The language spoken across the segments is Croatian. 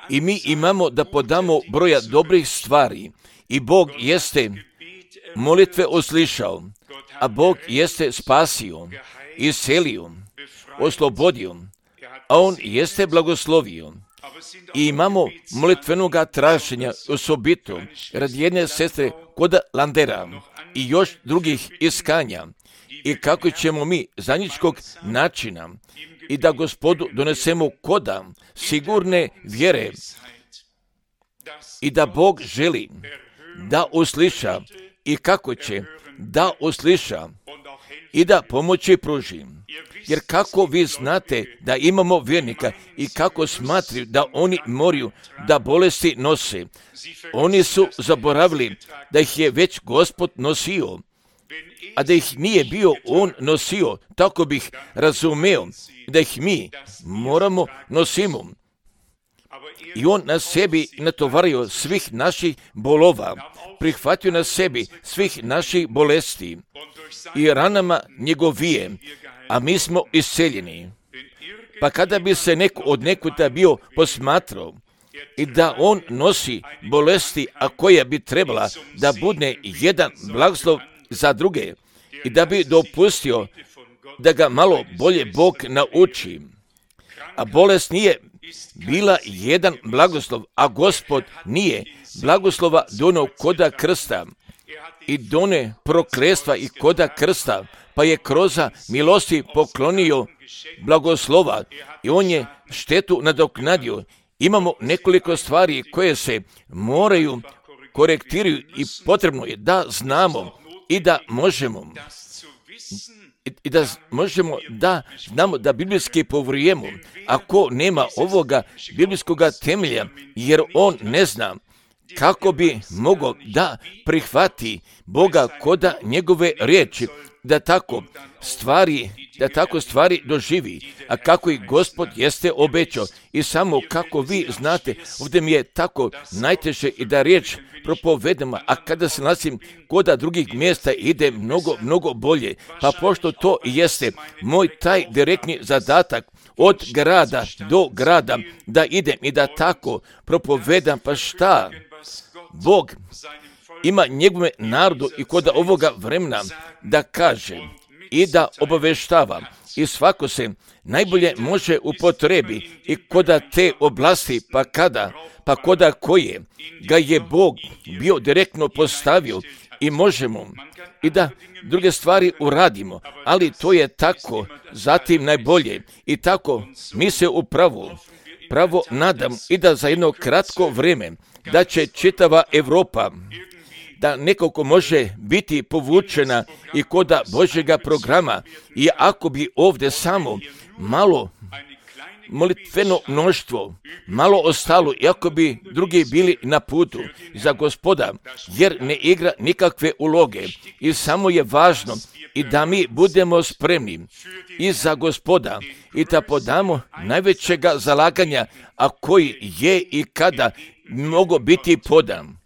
I mi imamo da podamo broja dobrih stvari. I Bog jeste molitve uslišao, a Bog jeste spasio, iscelio, oslobodio, a On jeste blagoslovio. I imamo molitvenoga traženja osobito radi jedne sestre kod Landera i još drugih iskanja. I kako ćemo mi zajedničkog načina i da Gospodu donesemo koda sigurne vjere i da Bog želi da usliša i kako će da usliša i da pomoći pruži. Jer kako vi znate da imamo vjernika i kako smatraju da oni moraju da bolesti nose, oni su zaboravili da ih je već Gospod nosio, a da ih nije bio On nosio, tako bih razumeo da ih mi moramo nosimo. I On na sebi natovario svih naših bolova, prihvatio na sebi svih naših bolesti i ranama njegovije, a mi smo isceljeni. Pa kada bi se neko od nekuda bio posmatrao i da on nosi bolesti, a koja bi trebala da bude jedan blagoslov za druge i da bi dopustio da ga malo bolje Bog nauči, a bolest nije bila jedan blagoslov, a Gospod nije blagoslova dono koda krsta i done prokletstva i koda krsta, pa je kroz milosti poklonio blagoslova i On je štetu nadoknadio. Imamo nekoliko stvari koje se moraju korektiraju i potrebno je da znamo i da možemo da znamo da biblijski povjerujemo. Ako nema ovoga biblijskog temelja, jer on ne zna kako bi mogao da prihvati Boga koda njegove riječi, da tako stvari doživi, a kako i Gospod jeste obećao. I samo kako vi znate, ovdje mi je tako najteže i da riječ propovedamo, a kada se nalazim koda drugih mjesta ide mnogo bolje. Pa pošto to jeste moj taj direktni zadatak od grada do grada, da idem i da tako propovedam, pa šta? Bog ima njegove narodu i kod ovoga vremena da kaže i da obaveštava i svako se najbolje može upotrebi i koda te oblasti, pa koda koje ga je Bog bio direktno postavio i možemo i da druge stvari uradimo, ali to je tako zatim najbolje i tako mi se pravo nadam i da za jedno kratko vrijeme da će čitava Europa da nekako može biti povučena i koda Božjega programa i ako bi ovdje samo malo molitveno mnoštvo malo ostalo, iako bi drugi bili na putu za Gospoda, jer ne igra nikakve uloge i samo je važno i da mi budemo spremni i za Gospoda i da podamo najvećega zalaganja, a koji je i kada mogu biti podan.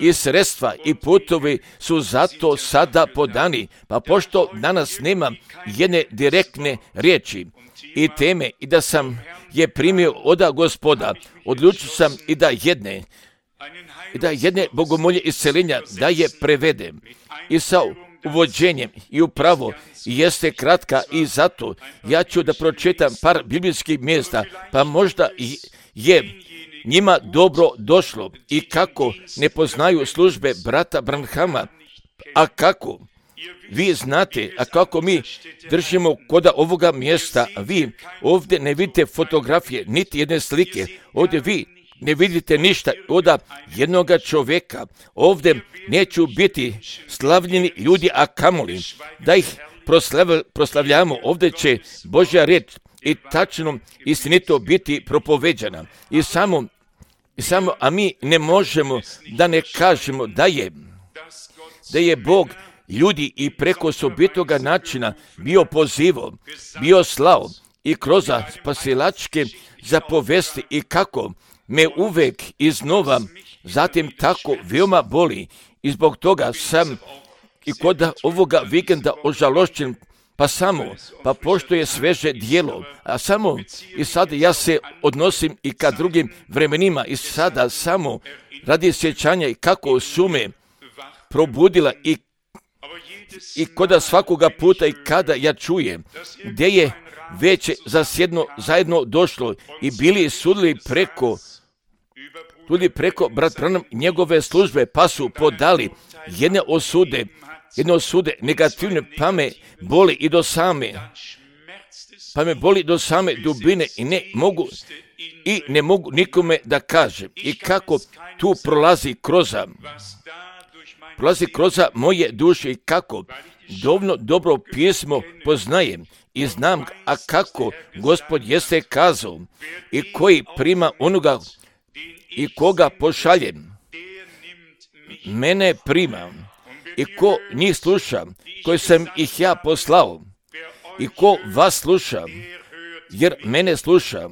I sredstva i putovi su zato sada podani, pa pošto danas nema jedne direktne riječi i teme i da sam je primio od Gospoda, odlučio sam i da jedne bogomolje isceljenja da je prevedem i sa uvođenjem i upravo jeste kratka i zato ja ću da pročitam par biblijskih mjesta, pa možda je njima dobro došlo i kako ne poznaju službe brata Branhama, a kako vi znate, a kako mi držimo koda ovoga mjesta, vi ovdje ne vidite fotografije, niti jedne slike, ovdje vi ne vidite ništa od jednoga čovjeka, ovdje neću biti slavljeni ljudi, a kamoli da ih proslavljamo, ovdje će Božja riječ i tačno istinito biti propoveđana. I samo, a mi ne možemo da ne kažemo da je Bog ljudi i preko osobitoga načina bio pozivao, bio slao i kroz spasilačke zapovesti i kako me uvek iznova zatim tako veoma boli i zbog toga sam i kod ovoga vikenda ožalošćen pa pošto je sveže dijelo, a samo i sada ja se odnosim i ka drugim vremenima i sada samo radi sjećanja i kako su me probudila i koda svakoga puta i kada ja čujem gdje je već zajedno došlo i bili sudili preko brat Branham njegove službe, pa su podali jedne osude negativne, pa me boli do same dubine i ne mogu nikome da kažem i kako tu prolazi kroz moje duše i kako dobro pismo poznajem i znam, a kako Gospod jeste kazao i koji prima onoga i koga pošaljem, mene prima i ko njih sluša, koji sam ih ja poslao i ko vas sluša, jer mene sluša.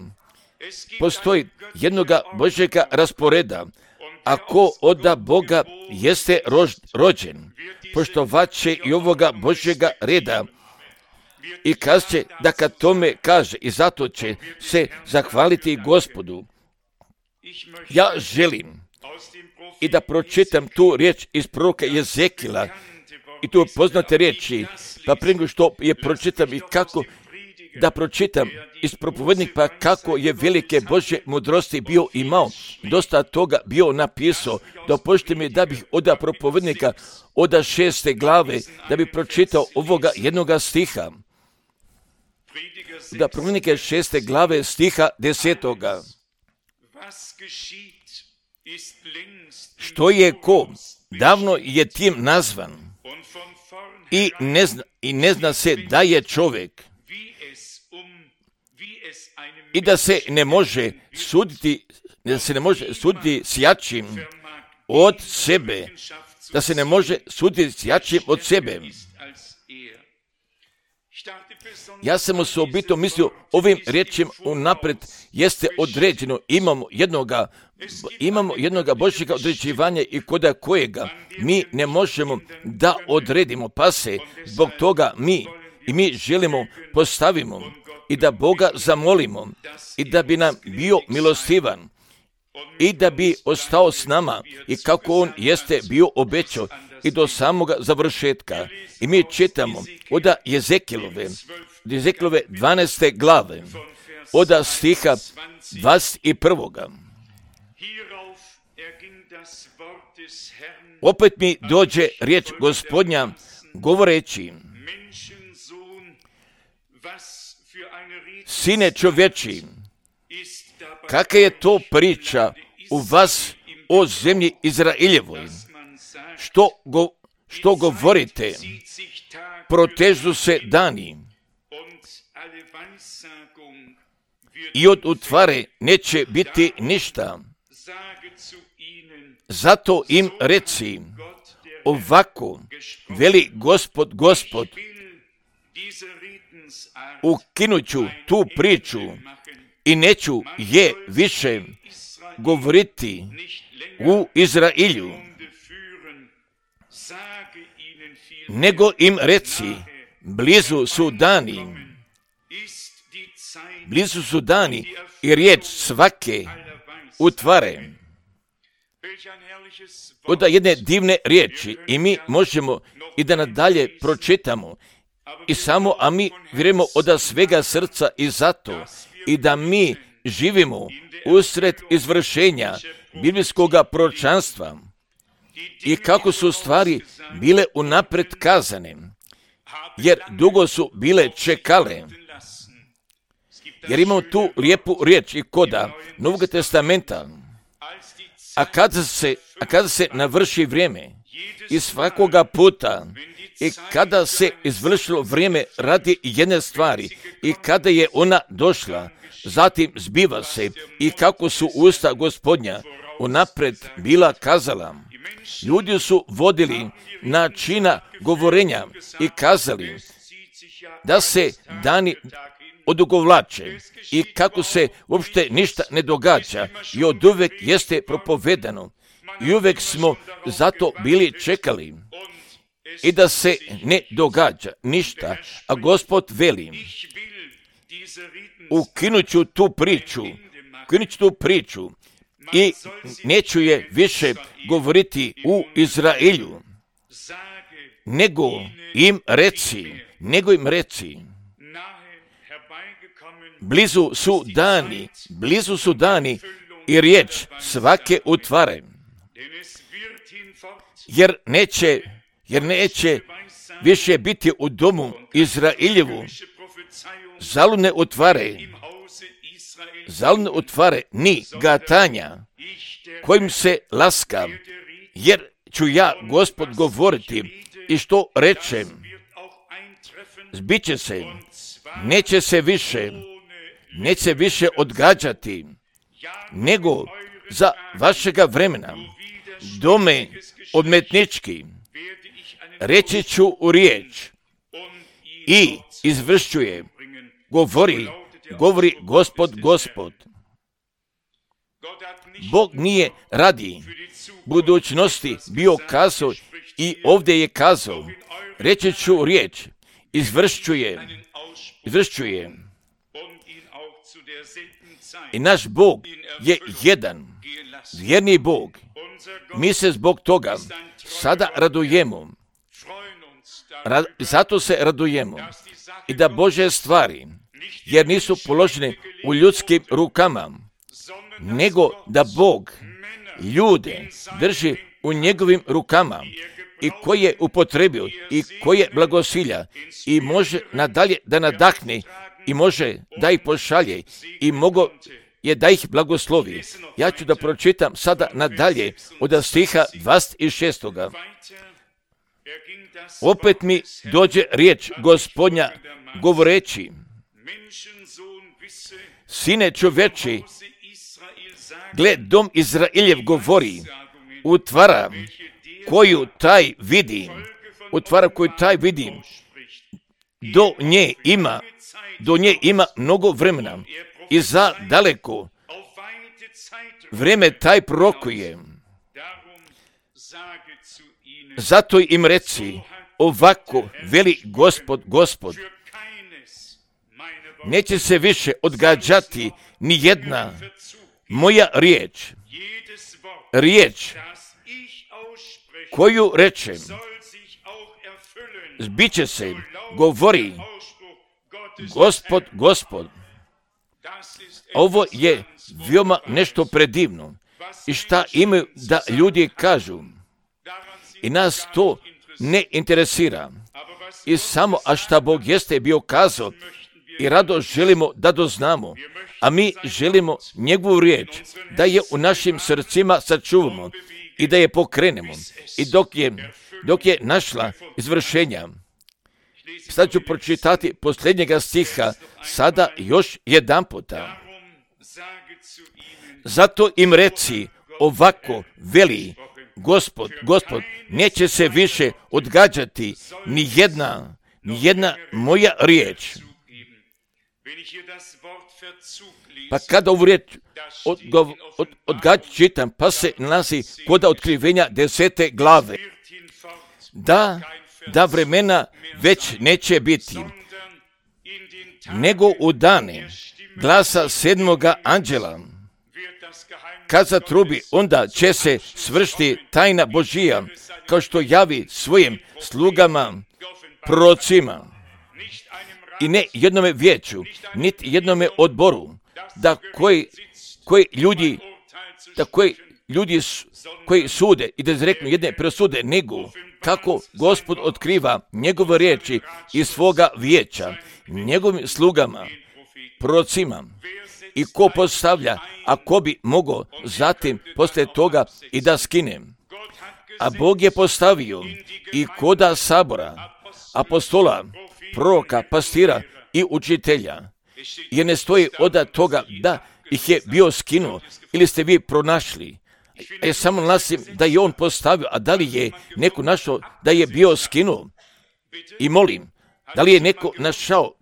Postoji jednoga Božjega rasporeda, a ko od Boga jeste rođen, poštovat će i ovoga Božjega reda i kaže da kad tome kaže i zato će se zahvaliti Gospodu. Ja želim i da pročitam tu riječ iz proroka Jezekila i tu poznate riječi, pa prije nego što je pročitam i kako da pročitam iz propovednika, pa kako je velike Božje mudrosti bio imao, dosta toga bio napisao. Dopustite mi da bih od propovednika od 6. glave da bih pročitao ovoga jednoga stiha. Da propovednike 6. glave stiha 10. Što je ko, davno je tim nazvan i ne zna se da je čovjek i da se ne može suditi s jačim od sebe, Ja sam osobito mislio ovim riječima unaprijed jeste određeno, imamo jednoga Božjega određivanja i koda kojega mi ne možemo da odredimo, pa se zbog toga mi želimo postavimo i da Boga zamolimo i da bi nam bio milostivan i da bi ostao s nama i kako On jeste bio obećao i do samoga završetka. I mi čitamo od Jezekilove 12. glave, od stiha 21. Opet mi dođe riječ Gospodnja govoreći: Sine čovječi, kakva je to priča u vas o zemlji Izraeljevoj? Što govorite? Protežu se dani i od utvare neće biti ništa. Zato im reci, ovako veli Gospod, ukinuću tu priču i neću je više govoriti u Izraelju, nego im reci, blizu su dani i riječ svake utvare. Od jedne divne riječi i mi možemo i da nadalje pročitamo a mi vjerujemo od svega srca i zato i da mi živimo usred izvršenja biblijskog proročanstva i kako su stvari bile unaprijed kazane, jer dugo su bile čekale. Jer imamo tu lijepu riječ i koda Novog testamenta, a kada se navrši vrijeme i svakoga puta i kada se izvršilo vrijeme radi jedne stvari i kada je ona došla, zatim zbiva se i kako su usta Gospodnja unaprijed bila kazala. Ljudi su vodili načina govorenja i kazali da se dani odugovlače i kako se uopšte ništa ne događa i od uvek jeste propovedano i uvek smo zato bili čekali i da se ne događa ništa, a Gospod veli, ukinut ću tu priču i neću je više govoriti u Izraelju, nego im reci, blizu su dani i riječ svake utvare, jer neće više biti u domu Izraeljevu zaludne utvare ni gatanja kojim se laska, jer ću ja, Gospod, govoriti i što rečem, zbiće se, neće više odgađati, nego za vašega vremena, dome odmetnički, reći ću u riječ i izvršćuje, govori Gospod. Bog nije radi budućnosti bio kazao i ovdje je kazao, reći ću riječ, izvršćuje. I naš Bog je jedan, vjerni Bog. Mi se zbog toga sada radujemo. Zato se radujemo. I da Božje stvari, jer nisu položene u ljudskim rukama, nego da Bog ljude drži u njegovim rukama i koji je upotrebio i koji je blagosilja i može nadalje da nadahne i može da ih pošalje i mogo je da ih blagoslovi. Ja ću da pročitam sada nadalje od stiha 26. Opet mi dođe riječ Gospodnja govoreći, sine čoveči, gle, dom Izraeljev govori, utvara koju taj vidi, do nje ima mnogo vremena i za daleko vreme taj prorokuje. Zato im reci, ovako veli Gospod, neće se više odgađati ni jedna moja riječ koju rečem, zbiće se, govori Gospod. Ovo je veoma nešto predivno. I šta imaju da ljudi kažu? I nas to ne interesira. I samo, a šta Bog jeste bio kazao, i rado želimo da doznamo, a mi želimo njegovu riječ, da je u našim srcima sačuvamo i da je pokrenemo. I dok je našla izvršenja. Sad ću pročitati posljednjega stiha, sada još jedan puta. Zato im reci, ovako veli Gospod, neće se više odgađati ni jedna moja riječ. Pa kada ovu riječ čitam, pa se nalazi kod otkrivenja 10. glave. Da vremena već neće biti, nego u dane glasa 7. anđela, kad zatrubi, onda će se svršiti tajna Božija, kao što javi svojim slugama, prorocima, i ne jednome vijeću, niti jednome odboru, da koji ljudi koji sude i da izreknu jedne presude, nego kako Gospod otkriva njegove riječi iz svoga vijeća, njegovim slugama, prorocima, i ko postavlja, a ko bi mogao zatim poslije toga i da skine. A Bog je postavio i koda sabora, apostola, proroka, pastira i učitelja. Jer ne stoji od toga da ih je bio skinuo ili ste vi pronašli. Ja samo nalasim da je on postavio, a da li je neko našao da je bio skinuo? I molim, da li je neko našao,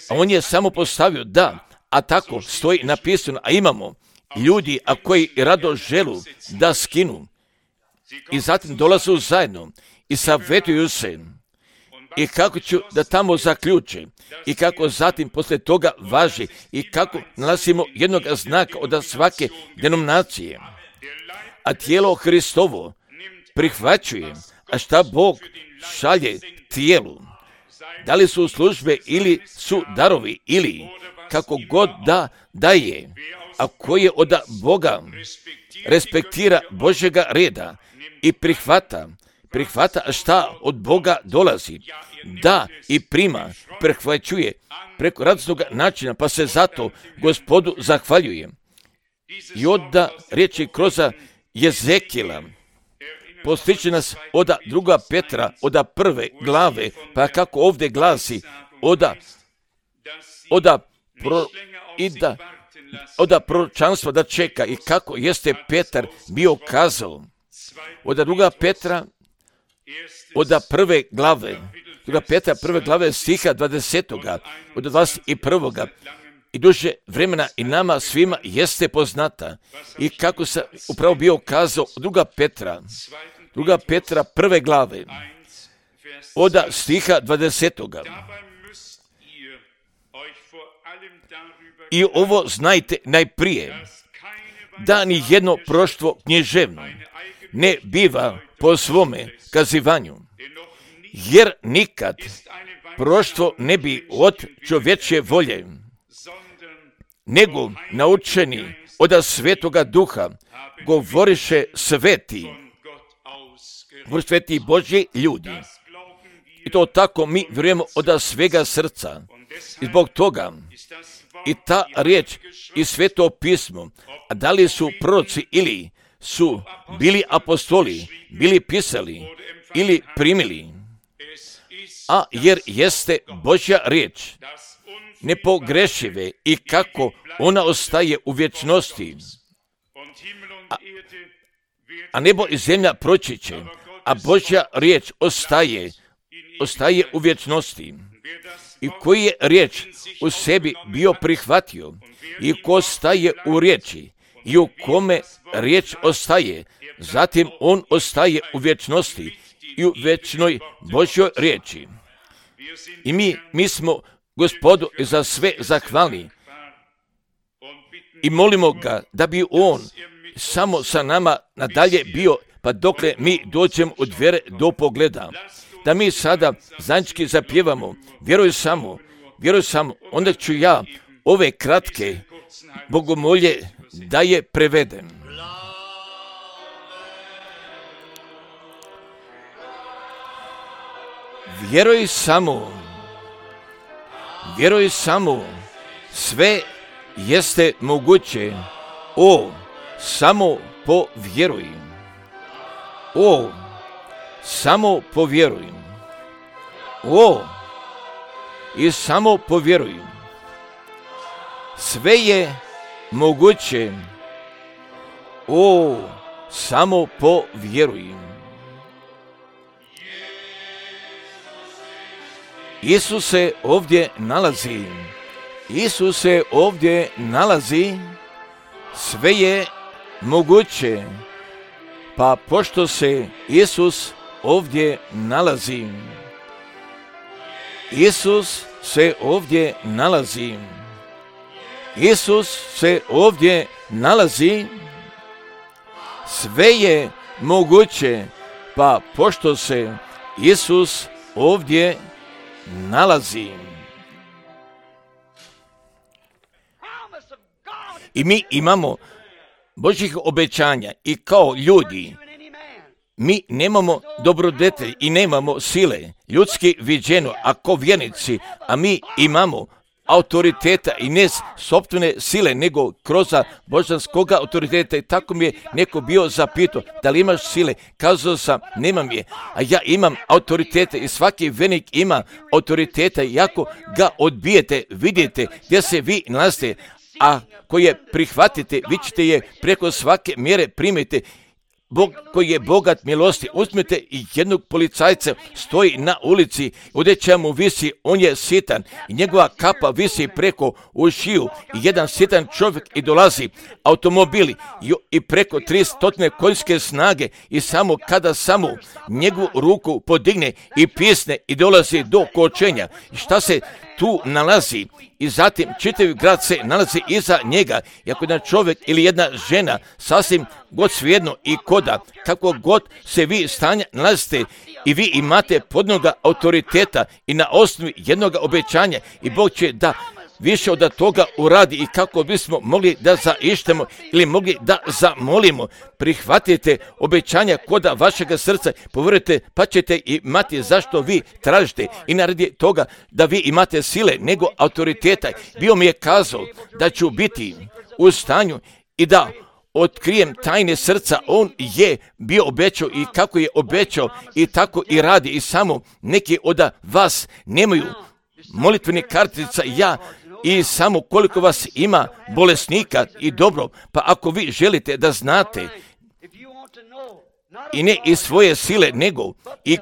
a on je samo postavio, da, a tako stoji napisano, a imamo ljudi, a koji rado želu da skinu i zatim dolazu zajedno i savjetuju se i kako ću da tamo zaključe i kako zatim poslije toga važi i kako nalazimo jednog znaka od svake denominacije. A tijelo Hristovo prihvaćuje, a šta Bog šalje tijelu. Da li su službe ili su darovi ili kako god da daje, a koje od Boga respektira Božjega reda i prihvata šta od Boga dolazi, da i prima, prihvaćuje preko radosnog načina, pa se zato Gospodu zahvaljuje. I onda riječi kroz Jezekijela postiče nas od 2. Petra, od 1. glave, pa kako ovdje glasi, od proročanstva da čeka i kako jeste Petar bio kazao. Od 2. Petra, od 1. glave, 2. Petra 1. glave stiha 20. od 21. I duže vremena i nama svima jeste poznata. I kako se upravo bio kazao 2. Petra 1. glave, od stiha 20. I ovo znajte najprije, da ni jedno proštvo književno ne biva po svome kazivanju, jer nikad proštvo ne bi od čovječje volje, nego naučeni od Svetoga Duha govoriše sveti Božji ljudi. I to tako mi vjerujemo od svega srca. I zbog toga i ta riječ i Sveto pismo, a da li su proroci ili su bili apostoli, bili pisali ili primili, a jer jeste Božja riječ nepogrešive i kako ona ostaje u vječnosti, a nebo i zemlja proći će, a Božja riječ ostaje u vječnosti. I koji je riječ u sebi bio prihvatio i ko ostaje u riječi i u kome riječ ostaje, zatim on ostaje u vječnosti i u vječnoj Božjoj riječi. I mi smo Gospodu za sve zahvalni i molimo ga da bi on samo sa nama nadalje bio, pa dokle mi dođemo od vjere do pogleda. Da mi sada zajednički zapjevamo, vjeruj samo, onda ću ja ove kratke bogomolje da je prevedem. Vjeruj samo, sve jeste moguće, samo povjeruj. Samo povjeruj. I samo povjeruj. Sve je moguće. Samo povjeruj. Isus se ovdje nalazi. Sve je moguće. Pa pošto se Isus ovdje nalazi, Isus se ovdje nalazi, sve je moguće, pa pošto se Isus ovdje nalazi. I mi imamo Božjih obećanja i kao ljudi mi nemamo dobrodetelj i nemamo sile, ljudski viđeno, ako vjernici, a mi imamo autoriteta i ne sopstvene sile, nego kroz božanskog autoriteta. I tako mi je neko bio zapitao, da li imaš sile? Kazao sam, nemam je, a ja imam autoriteta i svaki vjernik ima autoriteta i ako ga odbijete, vidite gdje se vi nalazite, a koje prihvatite, vi ćete je preko svake mjere primiti. Bog koji je bogat milosti. Uzmite i jednog policajca, stoji na ulici, odeća mu visi, on je sitan i njegova kapa visi preko ušiju i jedan sitan čovjek i dolazi automobili i preko 300 konjske snage i samo kada samo njegovu ruku podigne i pisne i dolazi do kočenja. Šta se tu nalazi? I zatim čitavi grad se nalazi iza njega. I ako jedan čovjek ili jedna žena, sasvim god svejedno i koda, kako god se vi stanja nalazite i vi imate podnoga autoriteta i na osnovi jednog obećanja i Bog će da više od toga uradi i kako bismo mogli da zaištemo ili mogli da zamolimo. Prihvatite obećanja koda vašega srca, povjerujte pa ćete imati zašto vi tražite i naradi toga da vi imate sile nego autoriteta. Bio mi je kazao da ću biti u stanju i da otkrijem tajne srca. On je bio obećao i kako je obećao i tako i radi i samo neki od vas nemaju molitvenih kartica, ja i samo koliko vas ima bolesnika i dobro, pa ako vi želite da znate i ne iz svoje sile nego i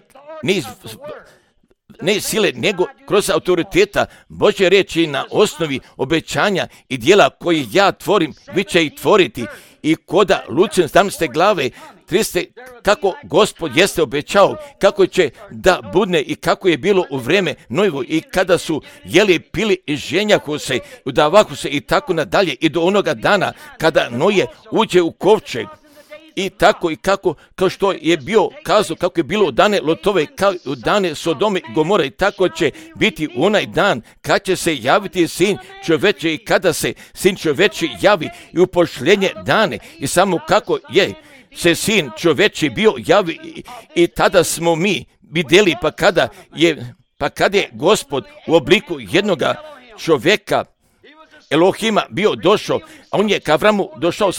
ne sile nego kroz autoriteta Božje riječi na osnovi obećanja i djela koje ja tvorim, vi će ih tvoriti i koda Lucijan 17. glave 30. kako Gospod jeste obećao, kako će da budne i kako je bilo u vrijeme Nojevo i kada su jeli, pili i ženjahu se, udavahu se i tako nadalje i do onoga dana kada Noje uđe u kovčeg. I tako i kako, kao što je bio kazao, kako je bilo u dane Lotove, kao u dane Sodome i Gomore, i tako će biti u onaj dan kad će se javiti sin čoveče i kada se sin čoveči javi i u pošljenje dane i samo kako je se sin čoveči bio javi i tada smo mi vidjeli pa kada je Gospod u obliku jednoga čovjeka Elohima bio došao, a on je k Avramu došao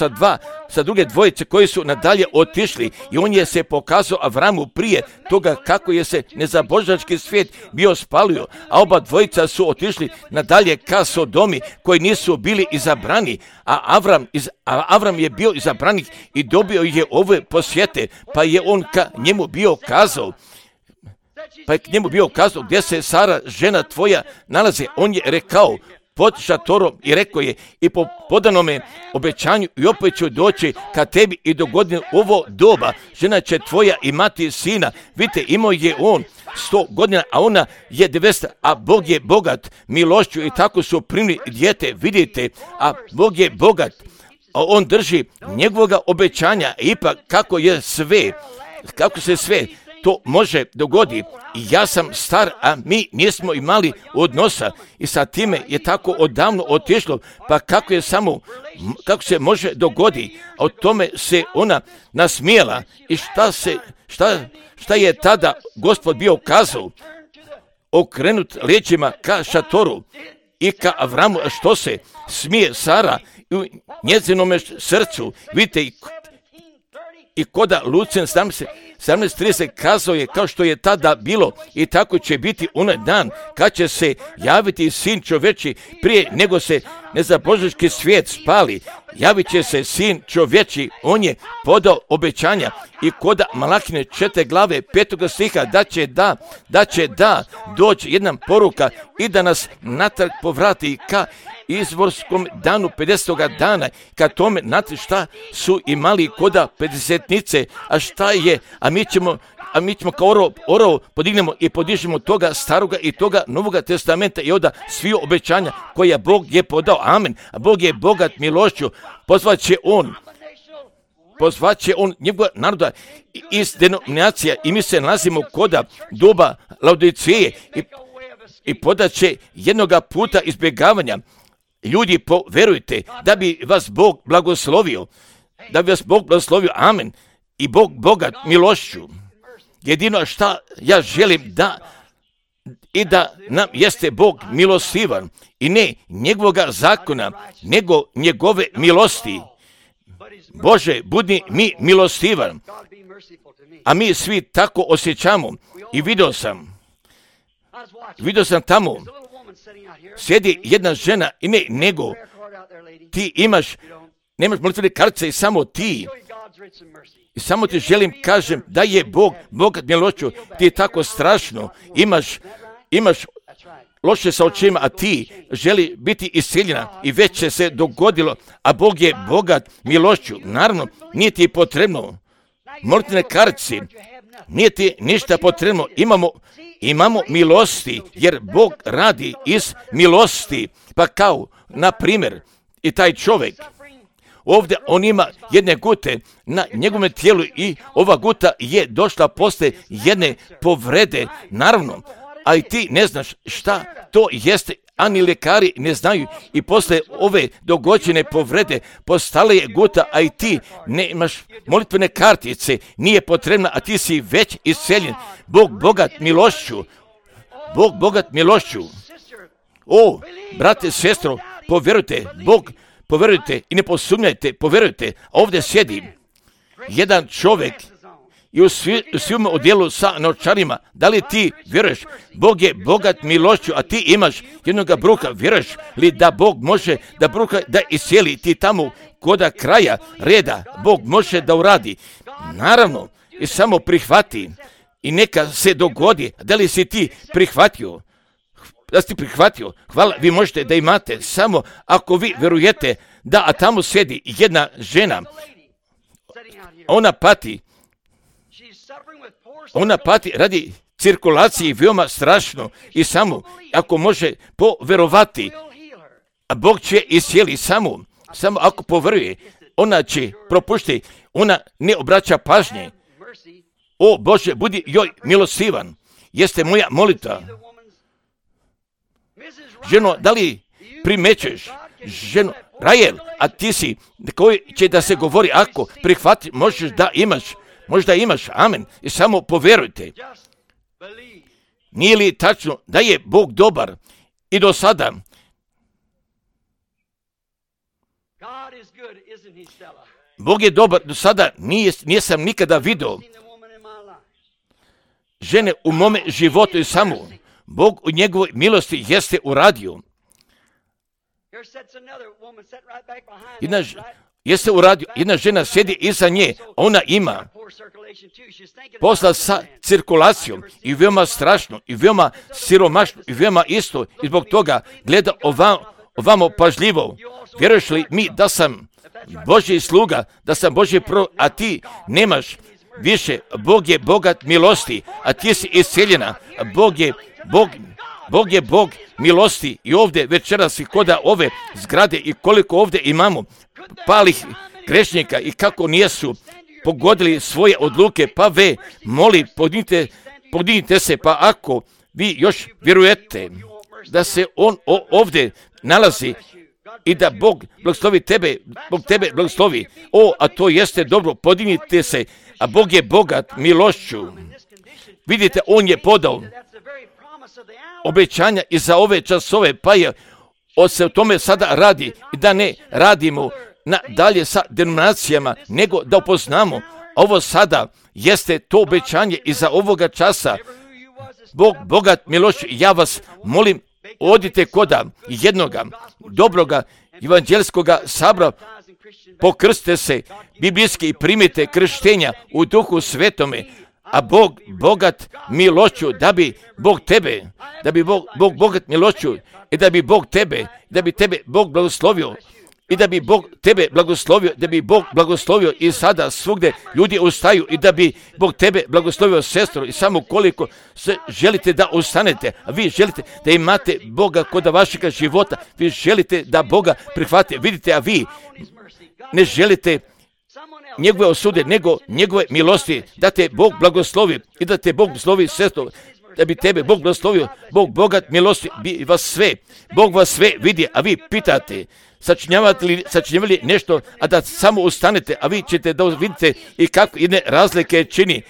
sa druge dvojice koji su nadalje otišli i on je se pokazao Avramu prije toga kako je se nezabožački svijet bio spalio, a oba dvojica su otišli nadalje ka Sodomi koji nisu bili izabrani, a Avram je bio izabranik i dobio je ove posjete, pa je on ka njemu bio kazao, gdje se Sara, žena tvoja, nalazi. On je rekao, pod šatorom, i rekao je i po podanome obećanju i opet ću doći ka tebi i do godine ovo doba žena će tvoja imati sina. Vidite, imao je on 100 godina, a ona je 900, a Bog je bogat milošću i tako su primili dijete. Vidite, a Bog je bogat, a on drži njegovoga obećanja. Ipak kako se sve to može dogoditi. I ja sam star, a mi nismo imali odnosa i sa time je tako odavno otišlo, pa kako se može dogoditi, a o tome se ona nasmijela. I šta je tada Gospod bio kazao? Okrenut leđima ka šatoru i ka Avramu, što se smije Sara u njezinome srcu. Vidite, i koda Lucijan 17:30 kazao je kao što je tada bilo i tako će biti onaj dan kad će se javiti sin čovječi prije nego se nezabožački svijet spali. Javit će se sin čovječi, on je podao obećanja i koda Malahine 4. glave 5. stiha da će doći jedna poruka i da nas natrag povrati ka izvorskom danu 50. dana, kad tome, znate šta su imali koda 50-nice, a šta je, a mi ćemo kao orovo podignemo i podižemo toga staroga i toga Novoga testamenta i onda svi obećanja koja Bog je podao. Amen. A Bog je bogat milošću, pozvat će on njegova naroda iz denominacija i mi se nalazimo koda doba Laodiceje i podat će jednoga puta izbjegavanja. Ljudi, verujte da bi vas Bog blagoslovio, amen, i Bog bogat milošću. Jedino šta ja želim da nam jeste Bog milostivan i ne njegovoga zakona, nego njegove milosti. Bože, budi mi milostivan, a mi svi tako osjećamo. I vidio sam tamo, sjedi jedna žena i nemaš molitvene kartice i samo ti I samo ti želim kažem da je Bog bogat milošću. Ti je tako strašno. Imaš loše sa očima, a ti želi biti iscijeljena i već će se dogodilo, a Bog je bogat milošću. Naravno, nije ti potrebno molitvene kartice, nije ti ništa potrebno. Imamo milosti, jer Bog radi iz milosti. Pa kao, na primjer, i taj čovjek, ovdje on ima jedne gute na njegovom tijelu i ova guta je došla poslije jedne povrede, naravno, ali ti ne znaš šta to jeste, ani ljekari ne znaju i poslije ove dogođene povrede postala je guta, a i ti ne imaš molitvene kartice, nije potrebna, a ti si već isceljen. Bog bogat milošću. Bog bogat milošću. O, brate, sestro, povjerujte, povjerujte i ne posumnjajte, povjerujte. Ovdje sjedi jedan čovjek i u svim odjelu sa novčanima. Da li ti vjeruješ? Bog je bogat milošću, a ti imaš jednoga bruka. Vjeruješ li da Bog može da bruka da iscijeli ti tamo koda kraja reda? Bog može da uradi. Naravno, i samo prihvati i neka se dogodi. Da li si ti prihvatio? Da si prihvatio? Hvala, vi možete da imate samo ako vi vjerujete da, a tamo sjedi jedna žena. Ona pati radi cirkulacije veoma strašno i samo ako može povjerovati, a Bog će iscijeli samo ako povjeruje, ona će propušti, ona ne obraća pažnje. O Bože, budi joj milostivan, jeste moja molitva. Ženo, da li primećuješ? Ženo, Rahel, a ti si koji će da se govori ako prihvati, možda imaš, amen, i samo povjerujte. Nije li tačno da je Bog dobar i do sada? Bog je dobar, do sada nisam nikada vidio žene u mome životu i samo Bog u njegovoj milosti jeste uradio. Jeste uradio, jedna žena sjedi iza nje, ona ima posla sa cirkulacijom i veoma strašno, i veoma siromašno, i veoma isto, i zbog toga gleda ovamo pažljivo. Vjeruješ li mi da sam Božji sluga, da sam Božji a ti nemaš više? Bog je bogat milosti, a ti si iscijeljena. Bog je Bog milosti i ovdje večeras i koda ove zgrade i koliko ovdje imamo palih grešnika i kako nijesu pogodili svoje odluke, pa moli, podignite se, pa ako vi još vjerujete da se on ovdje nalazi i da Bog blagoslovi tebe, Bog tebe blagoslovi, a to jeste dobro, podignite se, a Bog je bogat milošću. Vidite, on je podao obećanja i za ove časove, pa je se o tome sada radi i da ne radimo dalje sa denominacijama, nego da upoznamo ovo sada jeste to obećanje i za ovoga časa. Bog bogat milošću, ja vas molim, odite koda jednoga dobroga evanđelskoga sabora, pokrstite se biblijski i primite krštenja u Duhu Svetome, a Bog bogat milošću, da bi Bog tebe, da bi Bog bogat milošću i da bi Bog tebe, da bi tebe Bog blagoslovio i da bi Bog tebe blagoslovio, da bi Bog blagoslovio i sada svugdje ljudi ustaju i da bi Bog tebe blagoslovio, sestro, i samo koliko se želite da ustanete, a vi želite da imate Boga kod vašega života, vi želite da Boga prihvatite, vidite, a vi ne želite njegove osude, nego njegove milosti, da te Bog blagoslovi i da te Bog blagoslovi, sestro, da bi tebe Bog blagoslovio. Bog bogat milosti bi vas sve, Bog vas sve vidi, a vi pitate, sačinjavali nešto, a da samo ustanete, a vi ćete da vidite i kako jedne razlike čini.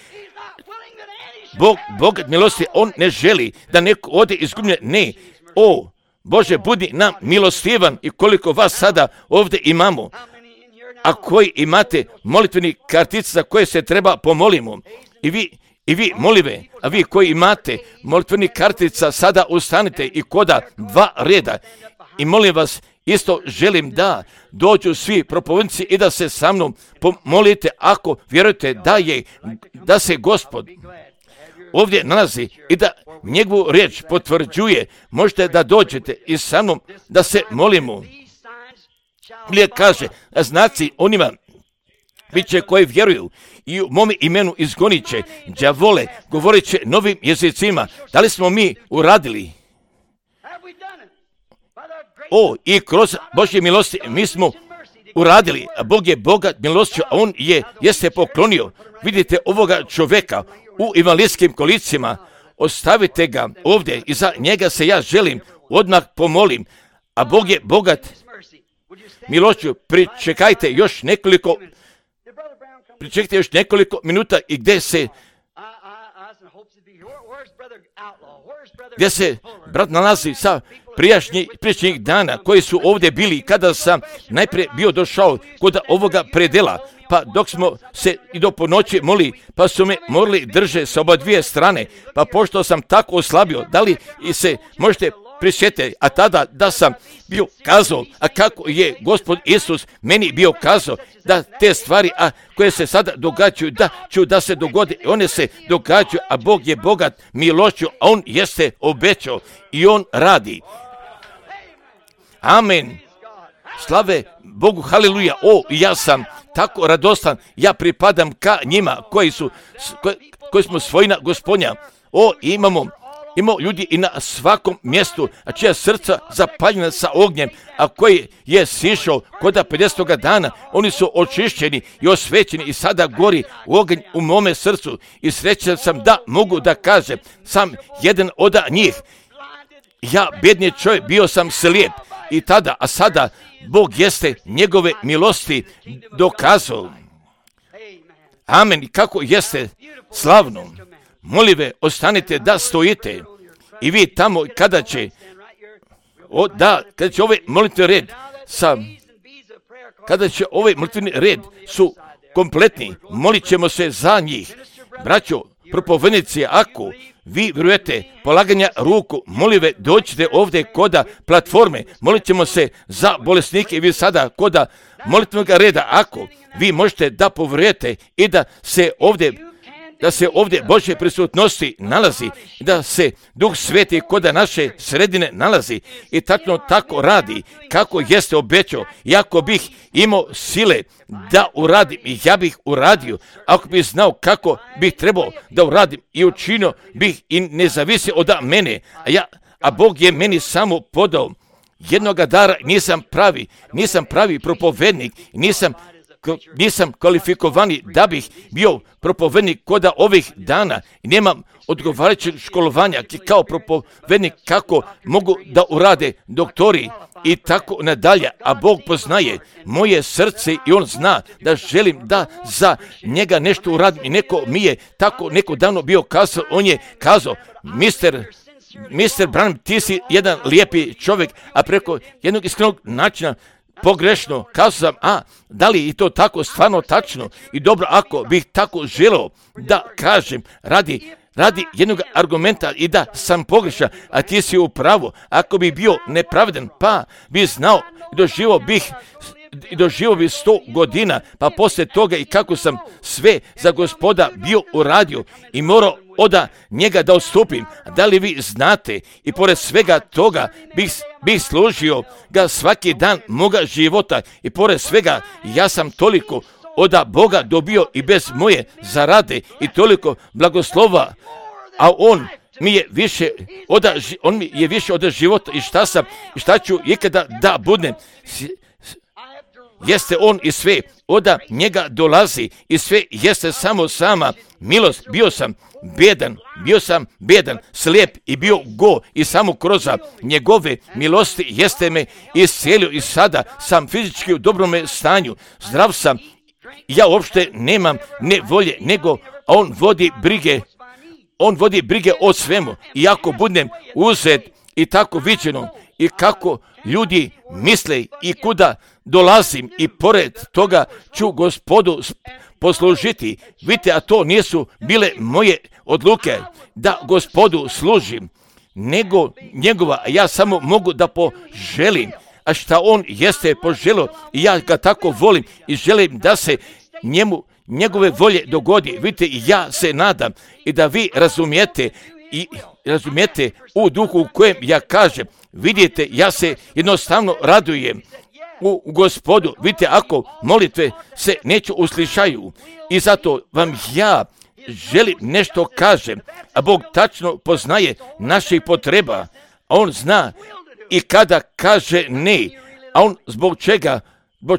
Bog bogat milosti, on ne želi da neko ode izgubljen, ne. O, Bože, budi nam milostivan i koliko vas sada ovdje imamo, a koji imate molitveni kartice za koje se treba pomolimo. I vi molive, a vi koji imate molitveni kartica sada ustanite i koda dva reda. I molim vas, isto želim da dođu svi propovednici i da se sa mnom pomolite ako vjerujete da se Gospod ovdje nalazi i da njegovu riječ potvrđuje. Možete da dođete i sa mnom da se molimo. Ili kaže, znaci onima bit će koji vjeruju i u mome imenu izgonit će đavole, govorit će novim jezicima. Da li smo mi uradili? I kroz Božje milosti mi smo uradili, a Bog je bogat milošću, a on jeste poklonio. Vidite ovoga čovjeka u invalidskim kolicima, ostavite ga ovdje i za njega se ja želim odmah pomolim, a Bog je bogat milošću. Pričekajte još nekoliko minuta i gdje se brat nalazi sa prijašnjih dana koji su ovdje bili kada sam najprije bio došao kod ovoga predela, pa dok smo se i do ponoći molili, pa su me morali drže sa oba dvije strane, pa pošto sam tako oslabio, da li i se možete prisjetiti, a tada da sam bio kazao, a kako je Gospod Isus meni bio kazao, da te stvari koje se sada događaju, da se dogode, one se događaju, a Bog je bogat milošću, a on jeste obećao i on radi. Amen. Slave Bogu, haleluja. Ja sam tako radostan, ja pripadam ka njima koji smo svojina Gospodnja. Imamo ljudi i na svakom mjestu, a čija srca zapaljena sa ognjem, a koji je sišao kod 50. dana, oni su očišćeni i osvećeni i sada gori oganj u mome srcu i srećan sam da mogu da kažem, sam jedan od njih. Ja, bedni čovjek, bio sam slijep i tada, a sada Bog jeste njegove milosti dokazao. Amen. Kako jeste slavno. Molive, ostanite da stojite i vi tamo kada će ovaj molitveni red kada će ovaj molitveni red su kompletni, molit ćemo se za njih. Braćo, propovednici, ako vi vjerujete polaganja ruku, molive, dođite ovdje koda platforme, molit ćemo se za bolesnike i vi sada koda molitvenog reda, ako vi možete da povjerujete i da se ovdje Božje prisutnosti nalazi, da se Duh Sveti koda naše sredine nalazi i tačno tako radi kako jeste obećao. I ako bih imao sile da uradim, ja bih uradio. Ako bih znao kako bih trebao da uradim i učinio bih i ne zavisi od mene, a Bog je meni samo podao jednoga dara. Nisam pravi propovednik, nisam kvalifikovani da bih bio propovednik koda ovih dana i nemam odgovarajućeg školovanja kao propovednik kako mogu da urade doktori i tako nadalje, a Bog poznaje moje srce i on zna da želim da za njega nešto uradim i neko mi je tako neko davno bio kazao, on je kazao, Mr. Branham, ti si jedan lijepi čovjek, a preko jednog iskrenog načina pogrešno kazao sam, da li je to tako stvarno tačno i dobro, ako bih tako želeo da kažem radi jednog argumenta i da sam pogrešan, a ti si u pravu, ako bi bio nepravedan, pa bi znao i doživio bi 100 godina, pa poslije toga i kako sam sve za Gospoda bio uradio i morao od njega da odstupim. Da li vi znate, i pored svega toga bih služio ga svaki dan moga života i pored svega ja sam toliko od Boga dobio i bez moje zarade i toliko blagoslova, a on mi je više od života i šta ću ikada da budem. Jeste on i sve od njega dolazi i sve jeste samo sama milost. Bio sam bedan, slijep i bio go i samo kroz njegove milosti jeste me iscelio i sada sam fizički u dobrome stanju, zdrav sam. Ja uopšte nemam ne volje, nego on vodi brige o svemu. I ako budem uzet i tako viđeno i kako ljudi misle i kuda dolazim i pored toga ću Gospodu poslužiti. Vidite, a to nisu bile moje odluke da Gospodu služim, nego njegova. Ja samo mogu da poželim, a šta on jeste poželio i ja ga tako volim i želim da se njegove volje dogodi. Vidite, ja se nadam i da vi razumijete u duhu u kojem ja kažem. Vidite, ja se jednostavno radujem u Gospodu. Vidite, ako molitve se neće uslišaju i zato vam ja želim nešto kažem, a Bog tačno poznaje naših potreba, a On zna i kada kaže ne, a On zbog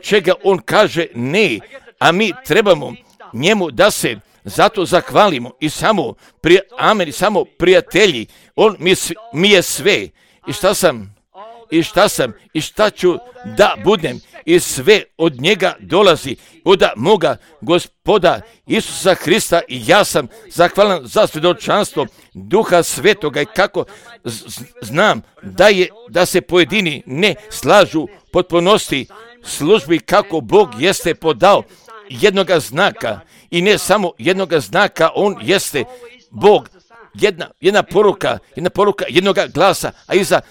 čega On kaže ne, a mi trebamo njemu da se zato zahvalimo i samo samo prijatelji, On mi je sve i šta ću da budem i sve od njega dolazi od moga Gospoda Isusa Hrista i ja sam zahvalan za svjedočanstvo Duha Svetoga i kako znam da se pojedini ne slažu potpunosti službi kako Bog jeste podao jednoga znaka i ne samo jednoga znaka, On jeste Bog, jedna poruka jednoga glasa, a iza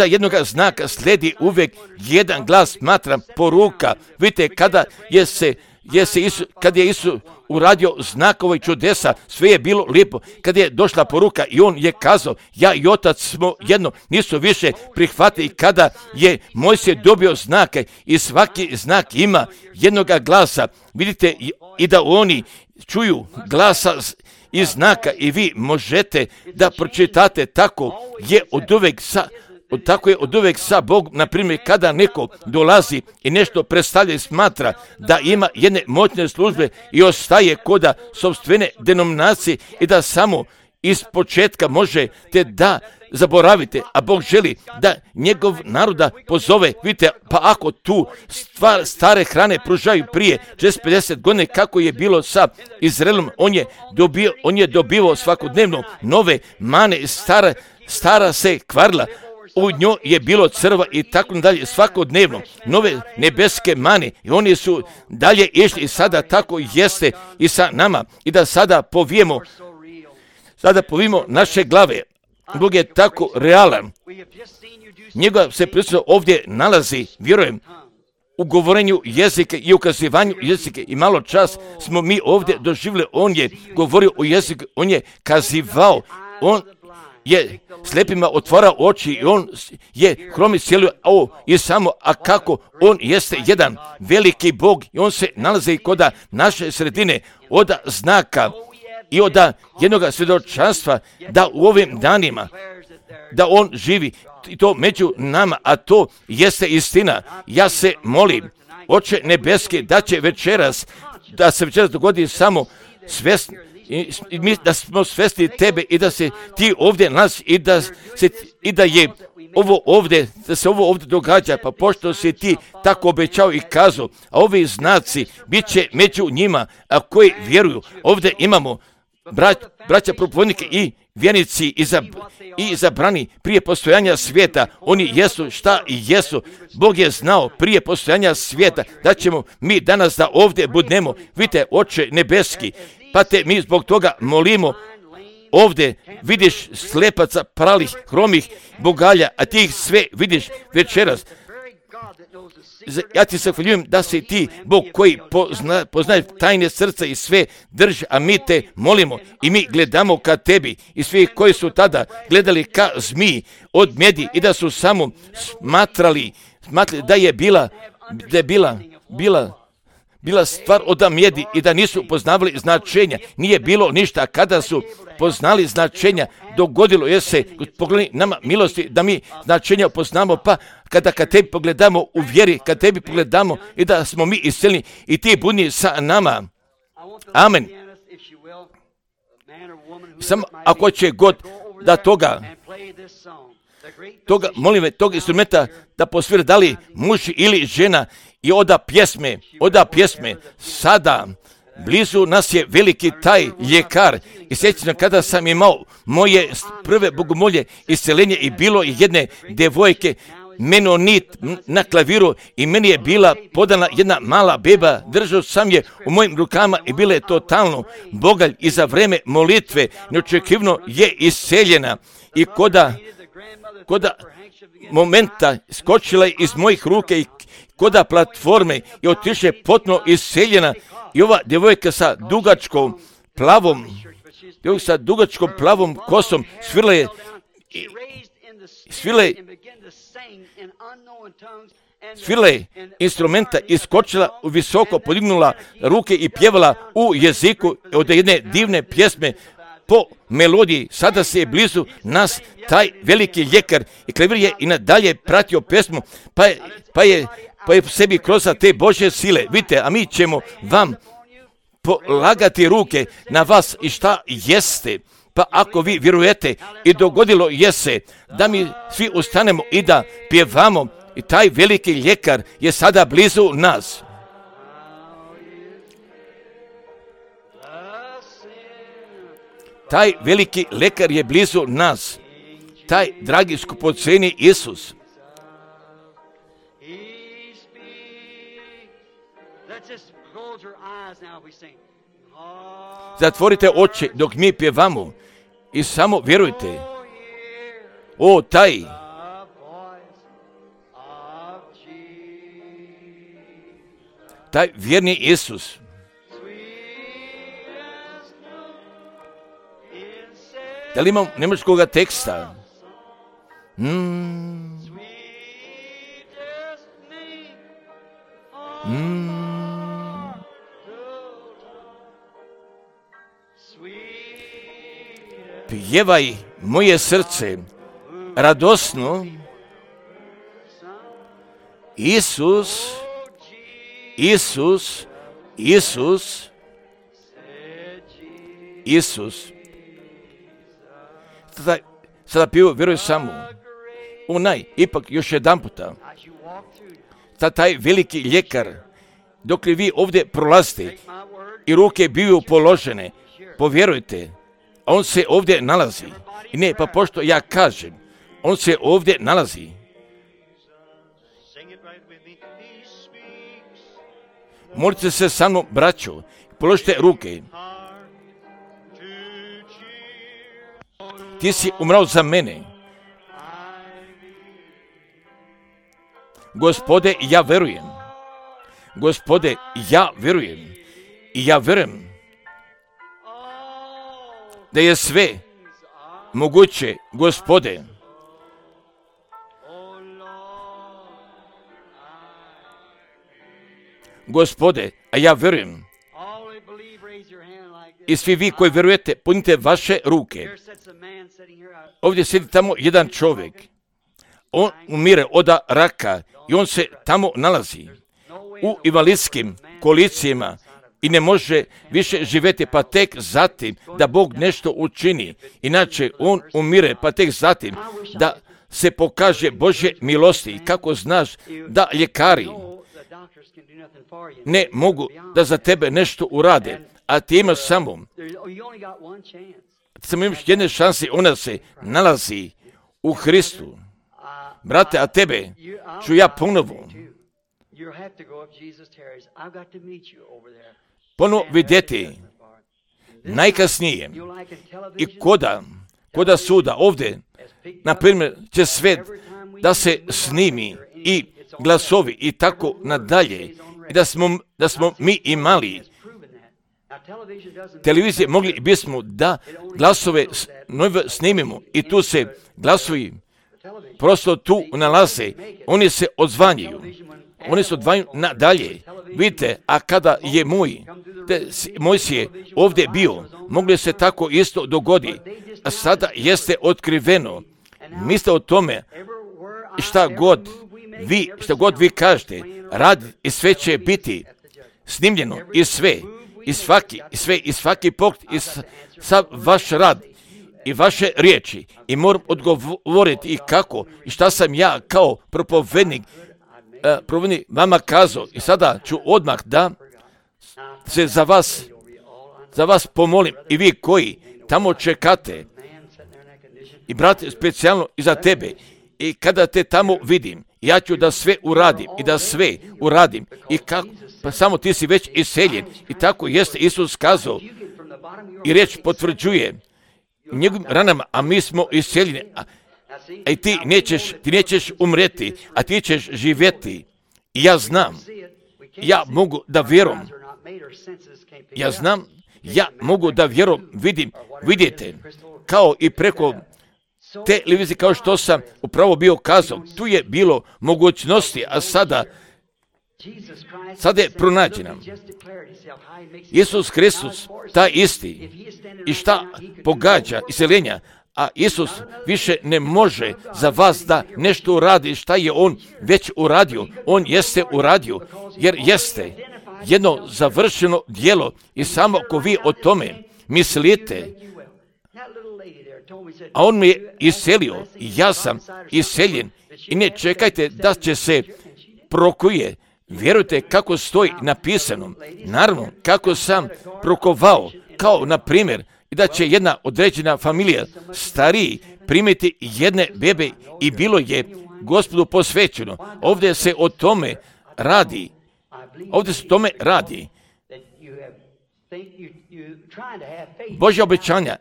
jednoga znaka slijedi uvijek jedan glas, smatram poruka. Vidite, kada je Isus uradio znakove i čudesa, sve je bilo lijepo. Kada je došla poruka i On je kazao, ja i Otac smo jedno, nisu više prihvatili. Kada je Mojsije dobio znake i svaki znak ima jednoga glasa, vidite, i da oni čuju glasa i znaka i vi možete da pročitate, tako je od uvek sa Bogom. Na primjer, kada neko dolazi i nešto predstavlja i smatra da ima jedne moćne službe i ostaje koda sopstvene denominacije i da samo iz početka možete da zaboravite, a Bog želi da njegov naroda pozove. Vidite, pa ako tu stare hrane pružaju prije 50 godina kako je bilo sa Izraelom, on je dobivao svakodnevno nove mane, stara se kvarila, u njoj je bilo crva i tako dalje, svakodnevno nove nebeske mane i oni su dalje išli i sada tako jeste i sa nama i da sada povijemo naše glave. Bog je tako realan. Njegova se prisutnost ovdje nalazi, vjerujem, u govorenju jezike i ukazivanju jezike i malo čas smo mi ovdje doživjeli, On je govorio o jeziku, On je kazivao, On je slijepima otvarao oči i On je hromi cijelio, a kako On jeste jedan veliki Bog i On se nalazi kod naše sredine od znaka i od jednoga svjedočanstva da u ovim danima da On živi i to među nama, a to jeste istina. Ja se molim, Oče nebeski, da se večeras dogodi samo svjesni, da smo svjesni Tebe i da se Ti ovdje nas i da se ovo ovdje događa, pa pošto si Ti tako obećao i kazao, a ovi znaci bit će među njima, a koji vjeruju. Ovdje imamo braća propovednike i vjernici i izabrani prije postojanja svijeta. Oni jesu šta i jesu. Bog je znao prije postojanja svijeta da ćemo mi danas da ovdje budemo. Vidite, Oče nebeski, pa te mi zbog toga molimo. Ovdje vidiš slepaca, pralih, hromih, bogalja, a ti ih sve vidiš večeras. Ja ti se hvaljujem da si Ti Bog koji poznaje tajne srca i sve drži, a mi Te molimo i mi gledamo ka Tebi i svi koji su tada gledali ka zmiji od medi i da su samo smatrali da je bila stvar od mjedi i da nisu poznavali značenja. Nije bilo ništa. Kada su poznali značenja, dogodilo je se, pogledaj nama milosti, da mi značenja poznamo, pa kada Tebi pogledamo u vjeri, kad Tebi pogledamo i da smo mi isceljeni i Ti budi sa nama. Amen. Samo ako će god da toga, molim me, tog instrumenta da posvira da li muž ili žena i oda pjesme, sada blizu nas je veliki taj ljekar i sjećam kada sam imao moje prve bogomolje isceljenje i bilo jedne devojke menonit na klaviru i meni je bila podana jedna mala beba, držao sam je u mojim rukama i bila je totalno bogalj i za vreme molitve neočekivno je isceljena i koda momenta skočila je iz mojih ruke i koda platforme i otiše potpuno isceljena. I ova djevojka sa dugačkom plavom kosom svirala je instrumenta, iskočila, visoko podignula ruke i pjevala u jeziku od jedne divne pjesme po melodiji. Sada se je blizu nas taj veliki ljekar i klavir je i nadalje pratio pjesmu, pa je sebi kroz te Božje sile. Vidite, a mi ćemo vam polagati ruke na vas i šta jeste. Pa ako vi vjerujete i dogodilo je se da mi svi ustanemo i da pjevamo, i taj veliki ljekar je sada blizu nas. Taj veliki lekar je blizu nas. Taj dragi skupoceni Isus. Zatvorite oči dok mi pjevamo i samo vjerujte. O, taj vjerni Isus. Da li imam njemačkoga teksta? Pjevaj moje srce radosno, Isus, Isus, Isus, Isus. Sada piju, vjeruj samo. Ipak još jedan puta. Taj veliki ljekar, dok li vi ovdje prolazite i ruke biju položene, povjerujte, on se ovdje nalazi. I ne, pa pošto ja kažem, on se ovdje nalazi. Molite se sa mnom, braćo, položite ruke. Ti si umrao za mene. Gospode, ja verujem. Gospode, ja verujem. I ja verujem da je sve moguće, Gospode. Gospode, a ja verujem. I svi vi koji vjerujete, punite vaše ruke. Ovdje sjedi tamo jedan čovjek. On umire od raka i on se tamo nalazi u invalidskim kolicijama i ne može više živjeti, pa tek zatim da Bog nešto učini. Inače, on umire, pa tek zatim da se pokaže Božje milosti. I kako znaš da ljekari ne mogu da za tebe nešto urade, a ti imaš samo imaš jedne šanse, ona se nalazi u Hristu. Brate, a tebe ću ja ponovo vidjeti najkasnije i koda suda ovdje, na primjer, će sve da se snimi i glasovi i tako nadalje, i da smo mi imali televizije, mogli bismo da glasove snimimo i tu se glasovi prosto tu nalaze, oni se odzvanjaju nadalje. Vidite, a kada je Mojsije ovdje bio, mogli se tako isto dogodi, a sada jeste otkriveno. Mislite o tome, šta god vi kažete, rad i sve će biti snimljeno i svaki pogled i sav vaš rad i vaše riječi, i moram odgovoriti i kako i šta sam ja kao propovednik vama kazao. I sada ću odmah da se za vas pomolim, i vi koji tamo čekate, i brate, specijalno i za tebe, i kada te tamo vidim, ja ću da sve uradim i kako, pa samo ti si već iseljen. I tako jeste Isus kazao i riječ potvrđuje njegovim ranama, a mi smo iseljeni. I ti nećeš umreti, a ti ćeš živjeti. I ja znam, ja mogu da vjerujem. Ja znam, ja mogu da vjerujem, vidite, kao i preko televizije, kao što sam upravo bio kazao, tu je bilo mogućnosti, a sada je pronađena. Isus Hristos, taj isti, i šta pogađa iseljenja, a Isus više ne može za vas da nešto uradi šta je On već uradio. On jeste uradio, jer jeste jedno završeno djelo i samo ako vi o tome mislite, a On me je iselio i ja sam iseljen i ne čekajte da će se prokuje. Vjerujte kako stoji napisano. Naravno, kako sam prokovao, kao na primjer, i da će jedna određena familija stariji primiti jedne bebe i bilo je Gospodu posvećeno. Ovdje se o tome radi. Božja obećanja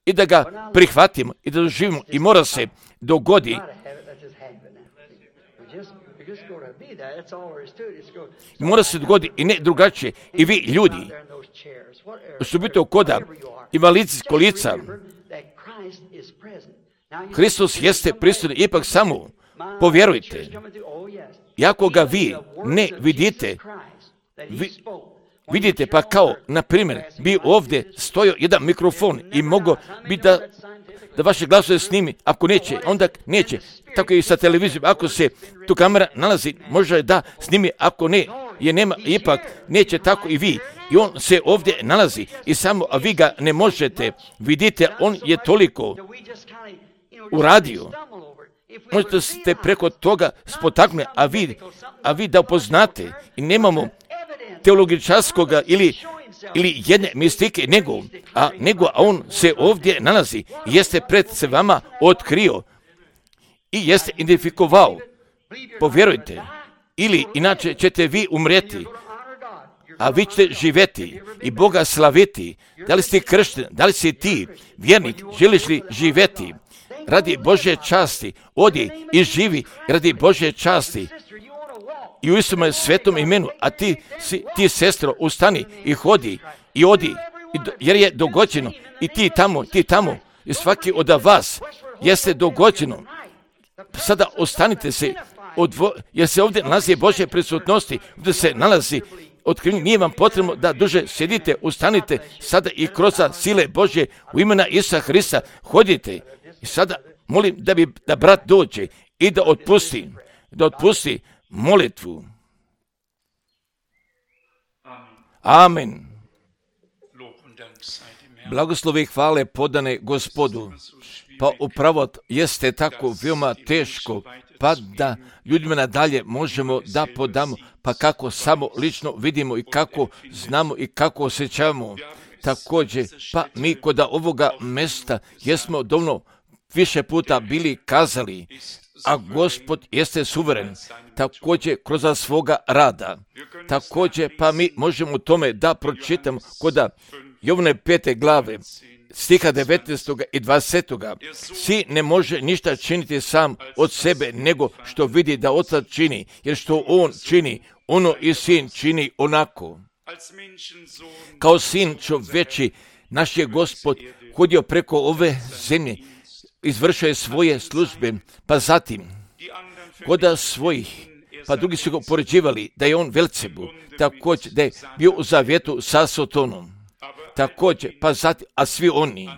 i da ga prihvatimo i da doživimo i mora se dogodi. Mora se dogodi i ne drugačije. I vi ljudi što biti koda invalidskih kolica, Hristos jeste prisutan, ipak samo povjerujte. Iako ga vi ne vidite, pa kao, na primjer, bi ovdje stojao jedan mikrofon i mogo bi da vaše glasove snimi, ako neće, onda neće. Tako i sa televizijom, ako se tu kamera nalazi, može da snimi, ako ne, je nema, ipak neće tako i vi. I on se ovdje nalazi i samo, a vi ga ne možete. Vidite, on je toliko uradio. Možete ste preko toga spotaknuli, a vi da upoznate i nemamo teologičarskoga ili jedne mistike, nego on se ovdje nalazi i jeste pred se vama otkrio i jeste identifikovao. Povjerujte, ili inače ćete vi umreti, a vi ćete živjeti i Boga slaviti. Da li si kršten, da li si ti vjernik, želiš li živjeti radi Božje časti, odi i živi radi Božje časti i u istom svetom imenu, a ti sestro, ustani i hodi i odi, jer je dogođeno i ti tamo i svaki od vas jeste dogođeno. Sada ostanite se, jer se ovdje nalazi Božje prisutnosti, ovdje se nalazi otkrivenje, nije vam potrebno da duže sjedite, ustanite sada i kroz sile Božje u imena Isusa Hrista hodite. I sada molim da brat dođe i da otpusti molitvu. Amen. Blagoslovi i hvale podane Gospodu. Pa upravo jeste tako veoma teško, pa da ljudima nadalje možemo da podamo, pa kako samo lično vidimo i kako znamo i kako osjećamo. Također, pa mi kod ovoga mesta jesmo dovoljno više puta bili kazali, a Gospod jeste suveren, također kroz svoga rada. Također, pa mi možemo u tome da pročitamo kod Jovane 5. glave, stiha 19. i 20. Sin ne može ništa činiti sam od sebe, nego što vidi da otac čini, jer što on čini, ono i sin čini onako. Kao sin čovječi, naš je Gospod hodio preko ove zemlje, izvršio je svoje službe, pa zatim kod svojih, pa drugi su ga poređivali da je on Velcebu, također da je bio u zavjetu sa Sotonom. Također, pa zatim, a svi oni,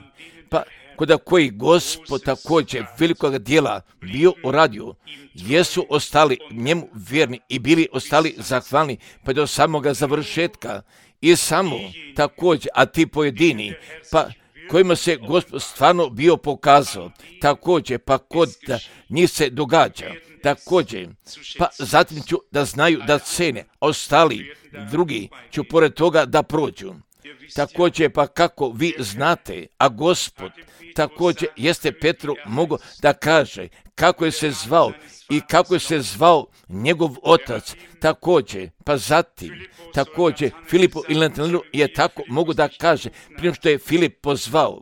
pa kod koji Gospod također velikog dijela bio uradio, jesu ostali njemu vjerni i bili ostali zahvalni pa do samoga završetka. I samo također, a ti pojedini, pa kojima se Gospod stvarno bio pokazao, također, pa kod njih se događa, također, pa zatim ću da znaju da cene, ostali drugi ću pored toga da prođu. Također, pa kako vi znate, a Gospod također jeste Petru mogao da kaže kako je se zvao i kako je se zvao njegov otac, također, pa zatim, također Filipu ili Natanelu je tako mogu da kaže, prije što je Filip pozvao,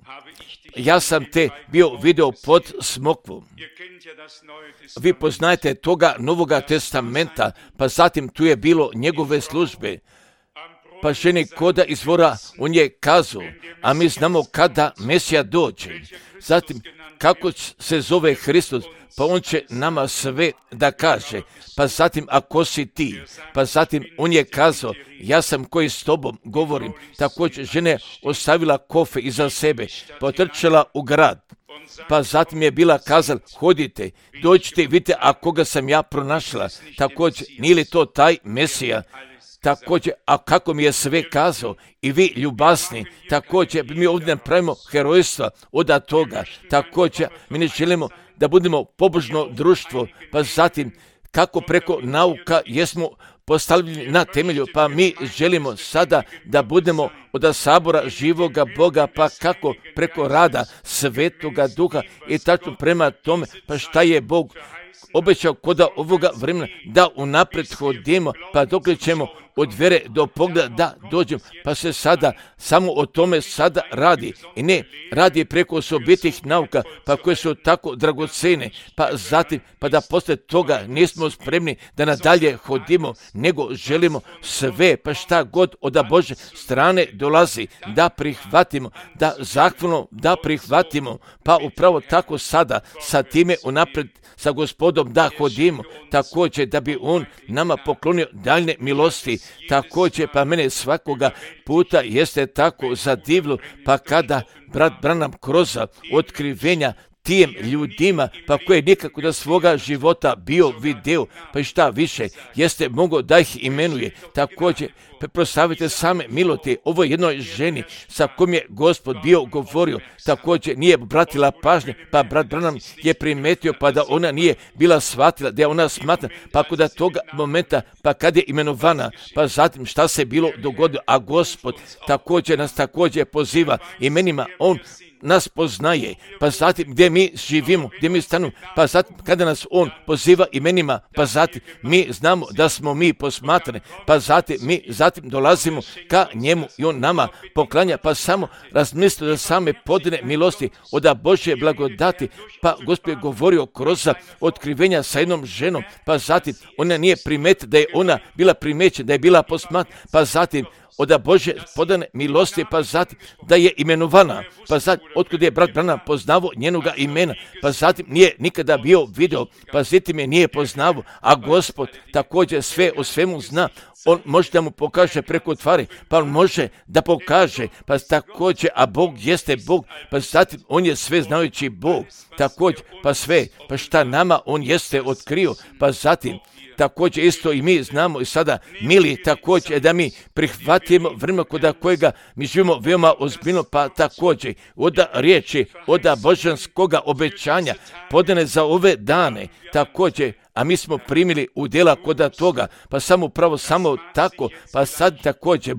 ja sam te bio video pod smokvom. Vi poznajete toga Novoga testamenta, pa zatim tu je bilo njegove službe. Pa ženi koda izvora, on je kazao, a mi znamo kada Mesija dođe. Zatim, kako se zove Hristos, pa on će nama sve da kaže. Pa zatim, ako si ti, pa zatim on je kazao, ja sam koji s tobom govorim. Također žena ostavila kofe iza sebe, potrčala u grad. Pa zatim je bila kazala, hodite, dođite, vidite, a koga sam ja pronašla. Također, nije li to taj Mesija? Također, a kako mi je sve kazao, i vi ljubasni, također mi ovdje napravimo herojstva od toga. Također, mi ne želimo da budemo pobožno društvo, pa zatim kako preko nauka jesmo postavljeni na temelju, pa mi želimo sada da budemo od sabora živoga Boga, pa kako preko rada Svetoga Duha i tačno prema tome, pa šta je Bog obećao koda ovoga vremena, da unaprijed hodimo, pa dokle ćemo od vjere do pogleda da dođemo, pa se sada samo o tome sada radi. I ne radi preko osobitih nauka, pa koje su tako dragocene, pa zatim, pa da poslije toga nismo spremni da nadalje hodimo, nego želimo sve, pa šta god od Božje strane dolazi, da prihvatimo, da zahvalno da prihvatimo, pa upravo tako sada sa time unaprijed sa Gospodom da hodimo, također da bi On nama poklonio daljne milosti. Također, pa mene svakoga puta jeste tako zadivilo, pa kada brat Branham kroz otkrivenja tim ljudima, pa koje nikako da svoga života bio video, pa i šta više, jeste mogao da ih imenuje. Također, proslavite same milosti ovoj jednoj ženi sa kojom je Gospod bio govorio, također nije obratila pažnje, pa brat Branham je primetio, pa da ona nije bila shvatila, da je ona smatra, pa kod toga momenta, pa kad je imenovana, pa zatim šta se bilo dogodilo, a Gospod također nas također poziva imenima, On nas poznaje, pa zatim gdje mi živimo, gdje mi stanemo, pa zatim kada nas On poziva imenima, pa zatim mi znamo da smo mi posmatrani, pa zatim mi zatim dolazimo ka njemu i on nama poklanja, pa samo razmislite da same podine milosti od Božje blagodati, pa Gospod je govorio kroz otkrivenja sa jednom ženom, pa zatim ona nije primetila da je ona bila primećena, da je bila posmatrana, pa zatim od Božje podane milosti, pa zatim da je imenovana, pa zatim otkud je brat Branham poznavo njenoga imena, pa zatim nije nikada bio video, pa zatim je nije poznavo, a Gospod također sve o svemu zna. On može da mu pokaže preko tvari, pa on može da pokaže, pa također, a Bog jeste Bog, pa zatim on je sve znajući Bog, također, pa sve, pa šta nama on jeste otkrio, pa zatim, također isto i mi znamo i sada, mili, također da mi prihvatimo vremena kod kojega mi živimo veoma ozbiljno, pa također od riječi, od božanskoga obećanja podane za ove dane, također, a mi smo primili udjela kod toga, pa samo pravo samo tako, pa sad također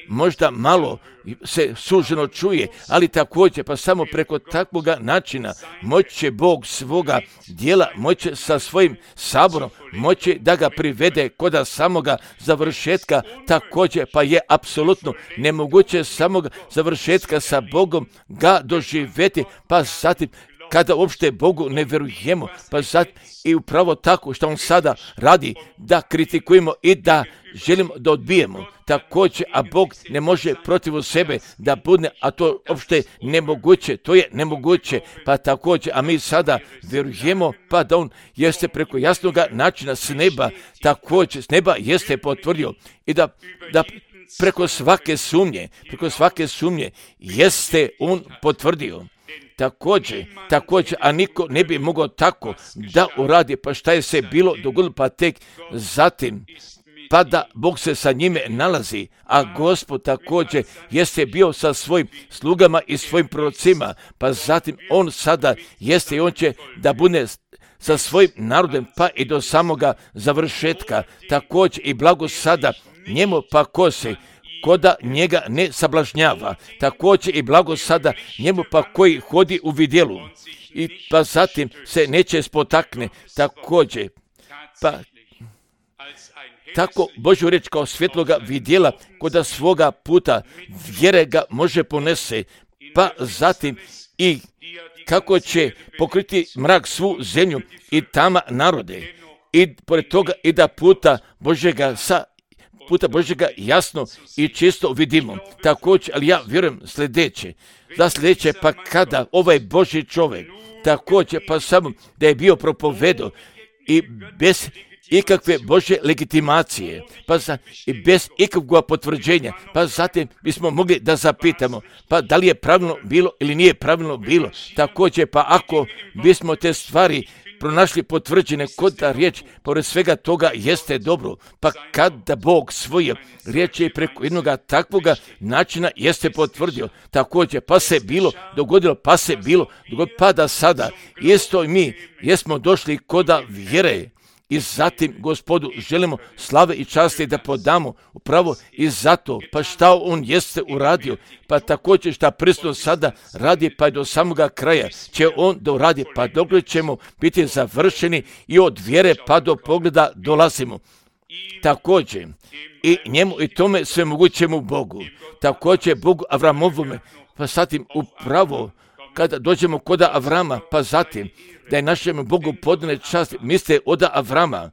možda malo se suženo čuje, ali također pa samo preko takvoga načina moći će Bog svoga djela, moći sa svojim saborom, moći da ga privede kod samoga završetka, također pa je apsolutno nemoguće samoga završetka sa Bogom ga doživjeti, pa zatim kada uopšte Bogu ne vjerujemo, pa sad i upravo tako što On sada radi, da kritikujemo i da želimo da odbijemo. Također, a Bog ne može protiv sebe da bude, a to uopšte nemoguće, to je nemoguće, pa također, a mi sada vjerujemo, pa da On jeste preko jasnoga načina s neba, također s neba jeste potvrdio i da preko svake sumnje jeste On potvrdio. Također, a niko ne bi mogao tako da uradi, pa šta je se bilo dogodilo, pa tek zatim, pa da Bog se sa njime nalazi, a Gospod također jeste bio sa svojim slugama i svojim prorocima, pa zatim On sada jeste i On će da bude sa svojim narodom, pa i do samoga završetka, također i blago sada njemu, pa ko se koda njega ne sablažnjava, također i blago sada njemu pa koji hodi u vidjelu i pa zatim se neće spotakne, također pa tako Božju riječ kao svjetloga vidjela koda svoga puta vjere ga može ponese, pa zatim i kako će pokriti mrak svu zemlju i tama narode, i pored toga i da puta Božjega jasno i čisto vidimo. Također, ali ja vjerujem sljedeće, pa kada ovaj Božji čovjek, također pa samo da je bio propovedao i bez ikakve Božje legitimacije, i bez ikakvog potvrđenja, pa zatim bismo mogli da zapitamo, pa da li je pravilno bilo ili nije pravilno bilo. Također, pa ako bismo te stvari pronašli potvrđene kod da riječ, pored svega toga jeste dobro, pa kada Bog svoje riječi preko jednog takvoga načina jeste potvrdio, također pa se bilo dogodilo, pa da sada isto i mi jesmo došli koda vjere. I zatim Gospodu želimo slave i časti da podamo upravo i zato, pa šta on jeste uradio, pa također šta prisutno sada radi, pa do samoga kraja će on da uradi, pa dok ćemo biti završeni i od vjere pa do pogleda dolazimo. Također i njemu i tome svemogućemu Bogu, također Bogu Avramovome, pa zatim upravo kada dođemo kod Avrama, pa zatim da je našem Bogu podane čast, misle od Avrama,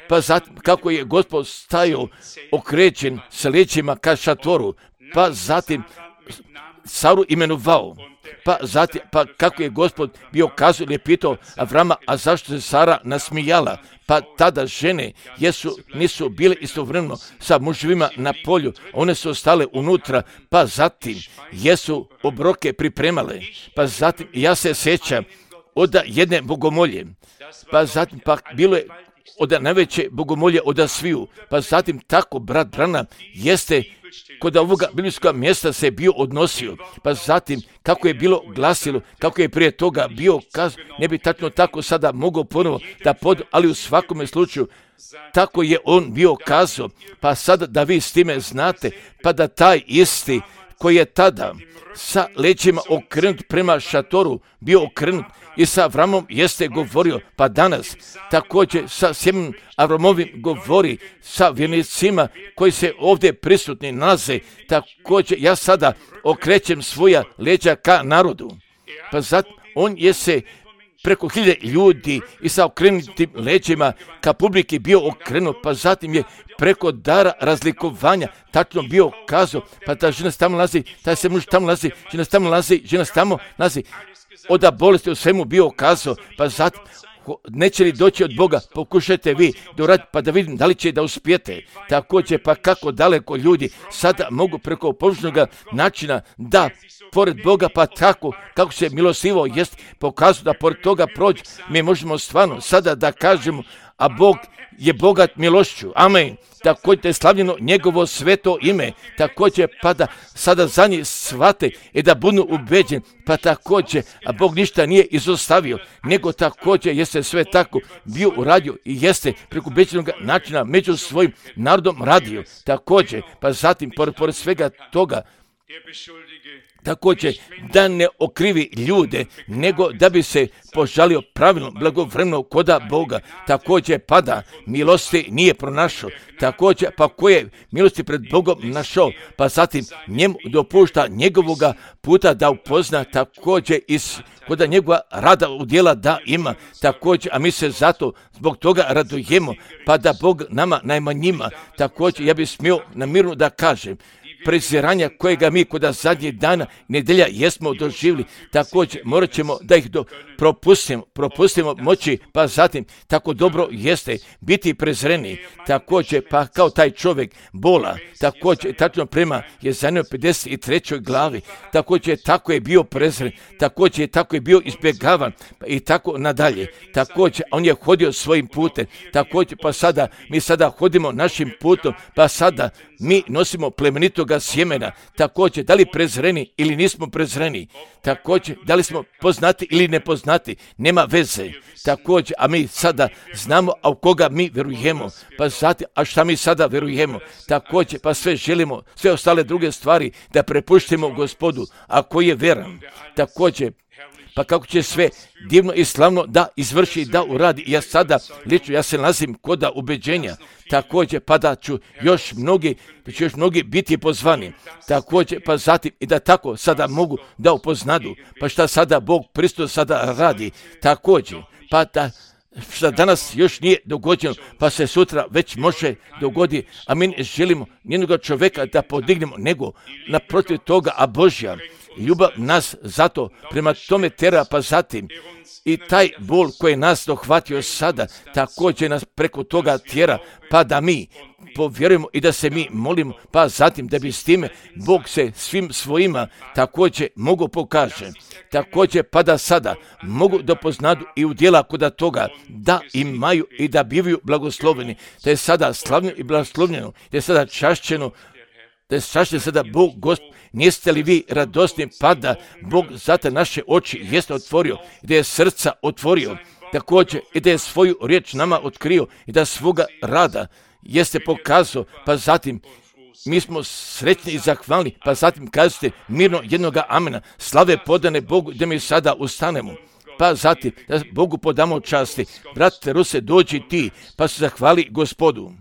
pa zatim kako je Gospod stajao okrećen sa leđima ka šatoru, pa zatim Saru imenovao, pa zatim pa kako je Gospod bio kazao ili pitao Avrama, a zašto se Sara nasmijala, pa tada žene nisu bile istovremeno sa muževima na polju, one su ostale unutra, pa zatim jesu obroke pripremale, pa zatim ja se sjećam od jedne bogomolje, pa zatim pa bilo je od najveće bogomolje od sviju, pa zatim tako brat Branham jeste kod ovoga biblijskog mjesta se bio odnosio, pa zatim kako je bilo glasilo, kako je prije toga bio kaz, ne bi tačno tako sada mogao ponovo da ali u svakome slučaju tako je on bio kazao, pa sada da vi s time znate, pa da taj isti koji je tada sa leđima okrenut prema šatoru bio okrenut i sa Avramom jeste govorio, pa danas također sa sjemenom Avramovim govori sa vjernicima koji se ovdje prisutni nalaze, također ja sada okrećem svoja leđa ka narodu, pa zato on je se preko 1000 ljudi i sa okrenutim leđima ka publiki bio okrenut, pa zatim je preko dara razlikovanja tačno bio kazao, pa ta žena tamo nalazi, taj se muž tamo nalazi, žena tamo nalazi, od bolesti u svemu bio kazao, pa zatim neće li doći od Boga, pokušajte vi da uradite, pa da vidim da li će da uspijete. Također, pa kako daleko ljudi sada mogu preko površnog načina da pored Boga, pa tako kako se milostivo jest pokazuje da pored toga prođe, mi možemo stvarno sada da kažemo, a Bog je bogat milošću. Amen. Također je slavljeno njegovo sveto ime. Također pa da sada za njih shvate i da budu ubeđeni. Pa također, a Bog ništa nije izostavio, nego također jeste sve tako bio uradio i jeste preko ubeđenog načina među svojim narodom radio. Također, pa zatim pored svega toga, također da ne okrivi ljude, nego da bi se požalio pravilno, blagovremeno koda Boga. Također pada milosti nije pronašao. Također pa koje milosti pred Bogom našao, pa zatim njemu dopušta njegovoga puta da upozna, također koda njegova rada u djela da ima. Također, a mi se zato zbog toga radujemo, pa da Bog nama najmanjima. Također ja bih smio namirno da kažem, preziranja kojega mi kod zadnjih dana nedjelja jesmo doživjeli, također morat ćemo da ih propustimo moći, pa zatim tako dobro jeste biti prezreni, također pa kao taj čovjek bola, također tačno prema Jezajanoj 53. glavi, također tako je bio prezren, također tako je bio izbjegavan i tako nadalje, također on je hodio svojim putem, također pa sada mi sada hodimo našim putom, pa sada mi nosimo plemenitoga sjemena, također da li prezreni ili nismo prezreni, također da li smo poznati ili nepoznati, nema veze, također, a mi sada znamo, a u koga mi vjerujemo, pa zatim, a šta mi sada vjerujemo, također, pa sve želimo, sve ostale druge stvari da prepuštimo Gospodu, a koji je vjeran, također, pa kako će sve divno i slavno da izvrši, da uradi. Ja sada, lično, ja se nalazim kod ubeđenja, također pa da ću još mnogi biti pozvani, također pa zatim i da tako sada mogu da upoznadu, pa šta sada Bog Hristos sada radi, također, pa da što danas još nije dogođeno, pa se sutra već može dogoditi, a mi ne želimo nijednog čovjeka da podignemo, nego naprotiv toga, a Božja ljubav nas zato prema tome tera, pa zatim i taj bol koji nas dohvatio sada, također nas preko toga tjera, pa da mi povjerujemo i da se mi molimo, pa zatim da bi s time Bog se svim svojima također mogu pokaže. Također pa da sada mogu da poznadu i u djela kod toga da imaju i da bivaju blagosloveni, da je sada slavljeno i blagoslovljeno, da je sada čašćeno, da je čašćen sada Bog Gospod. Niste li vi radosni, pa da Bog zato naše oči jeste otvorio, da je srca otvorio, također i da je svoju riječ nama otkrio i da svoga rada jeste pokazao, pa zatim mi smo sretni i zahvalni, pa zatim kažete mirno jednoga amena, slave podane Bogu, da mi sada ustanemo. Pa zatim da Bogu podamo časti. Brate Ruse, dođi ti, pa se zahvali Gospodu.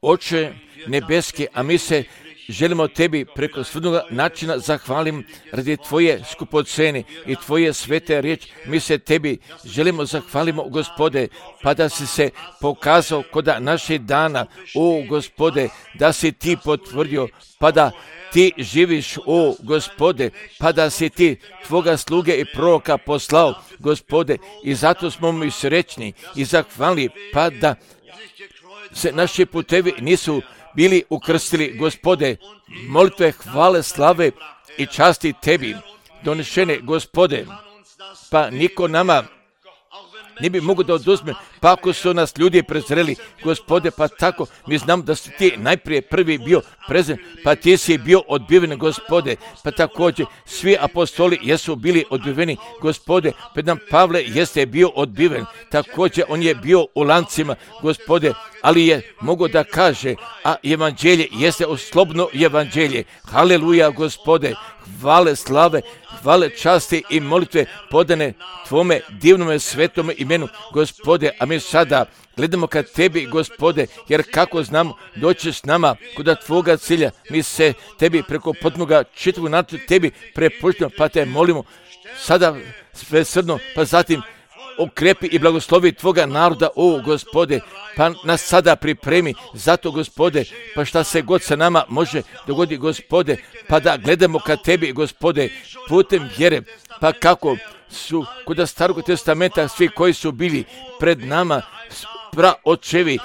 Oče nebeski, a mi se želimo tebi preko svjednog načina zahvalim radi tvoje skupocene i tvoje svete riječi. Mi se tebi želimo zahvalimo, Gospode, pa da si se pokazao kod naših dana, o Gospode, da si ti potvrdio, pa da ti živiš, o Gospode, pa da si ti tvoga sluge i proroka poslao, Gospode, i zato smo mi srećni i zahvalni, pa da se naši putevi nisu bili ukrstili, Gospode, molitve, hvale, slave i časti tebi donešene, Gospode, pa niko nama ne bi mogu da oduzme, pa ako su nas ljudi prezreli, Gospode, pa tako mi znam da si ti najprije prvi bio prezren, pa ti si bio odbiven, Gospode, pa također svi apostoli jesu bili odbiveni, Gospode, pa nam Pavle jeste bio odbiven, također on je bio u lancima, Gospode, ali je mogo da kaže, a evanđelje jeste slobodno evanđelje. Haleluja, Gospode, hvale, slave, hvale, časti i molitve podane tvome divnome svetome imenu, Gospode, a mi sada gledamo ka tebi, Gospode, jer kako znamo doći s nama kod tvoga cilja, mi se tebi preko potnoga čitavog načina tebi prepuštamo, pa te molimo sada svesrdno, pa zatim okrepi i blagoslovi tvoga naroda, o Gospode, pa nas sada pripremi, zato Gospode, pa šta se god sa nama može dogoditi, Gospode, pa da gledamo ka tebi, Gospode, putem vjere, pa kako su kod Starog testamenta svi koji su bili pred nama, praočevi,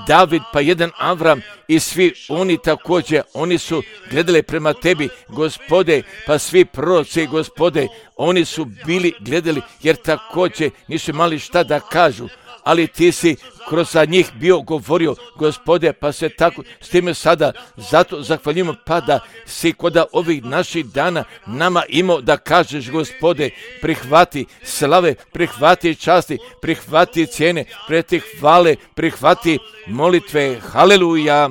David, pa jedan Avram i svi oni također, oni su gledali prema tebi, Gospode, pa svi proroci, Gospode, oni su bili gledali jer također nisu imali šta da kažu, ali ti si kroz njih bio govorio, Gospode, pa se tako s time sada zato zahvaljujemo, pa da si kod ovih naših dana nama imao da kažeš, Gospode, prihvati slave, prihvati časti, prihvati cijene, preti hvale, prihvati molitve, haleluja,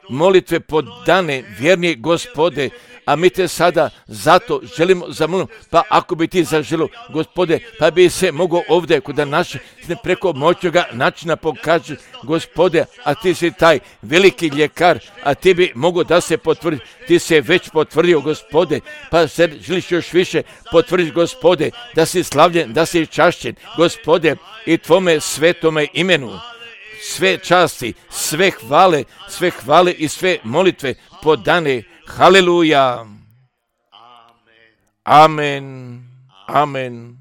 molitve podane, vjerni, Gospode, a mi te sada zato želimo zamoliti, pa ako bi ti zaželio, Gospode, pa bi se mogao ovdje kod naše preko moćnoga načina pokaže, Gospode, a ti si taj veliki ljekar, a ti bi mogao da se potvrdi, ti se već potvrdio, Gospode, pa se želiš još više potvrditi, Gospode, da si slavljen, da si čašćen, Gospode, i tvome svetome imenu. Sve časti, sve hvale i sve molitve podane. Haleluja. Amen. Amen.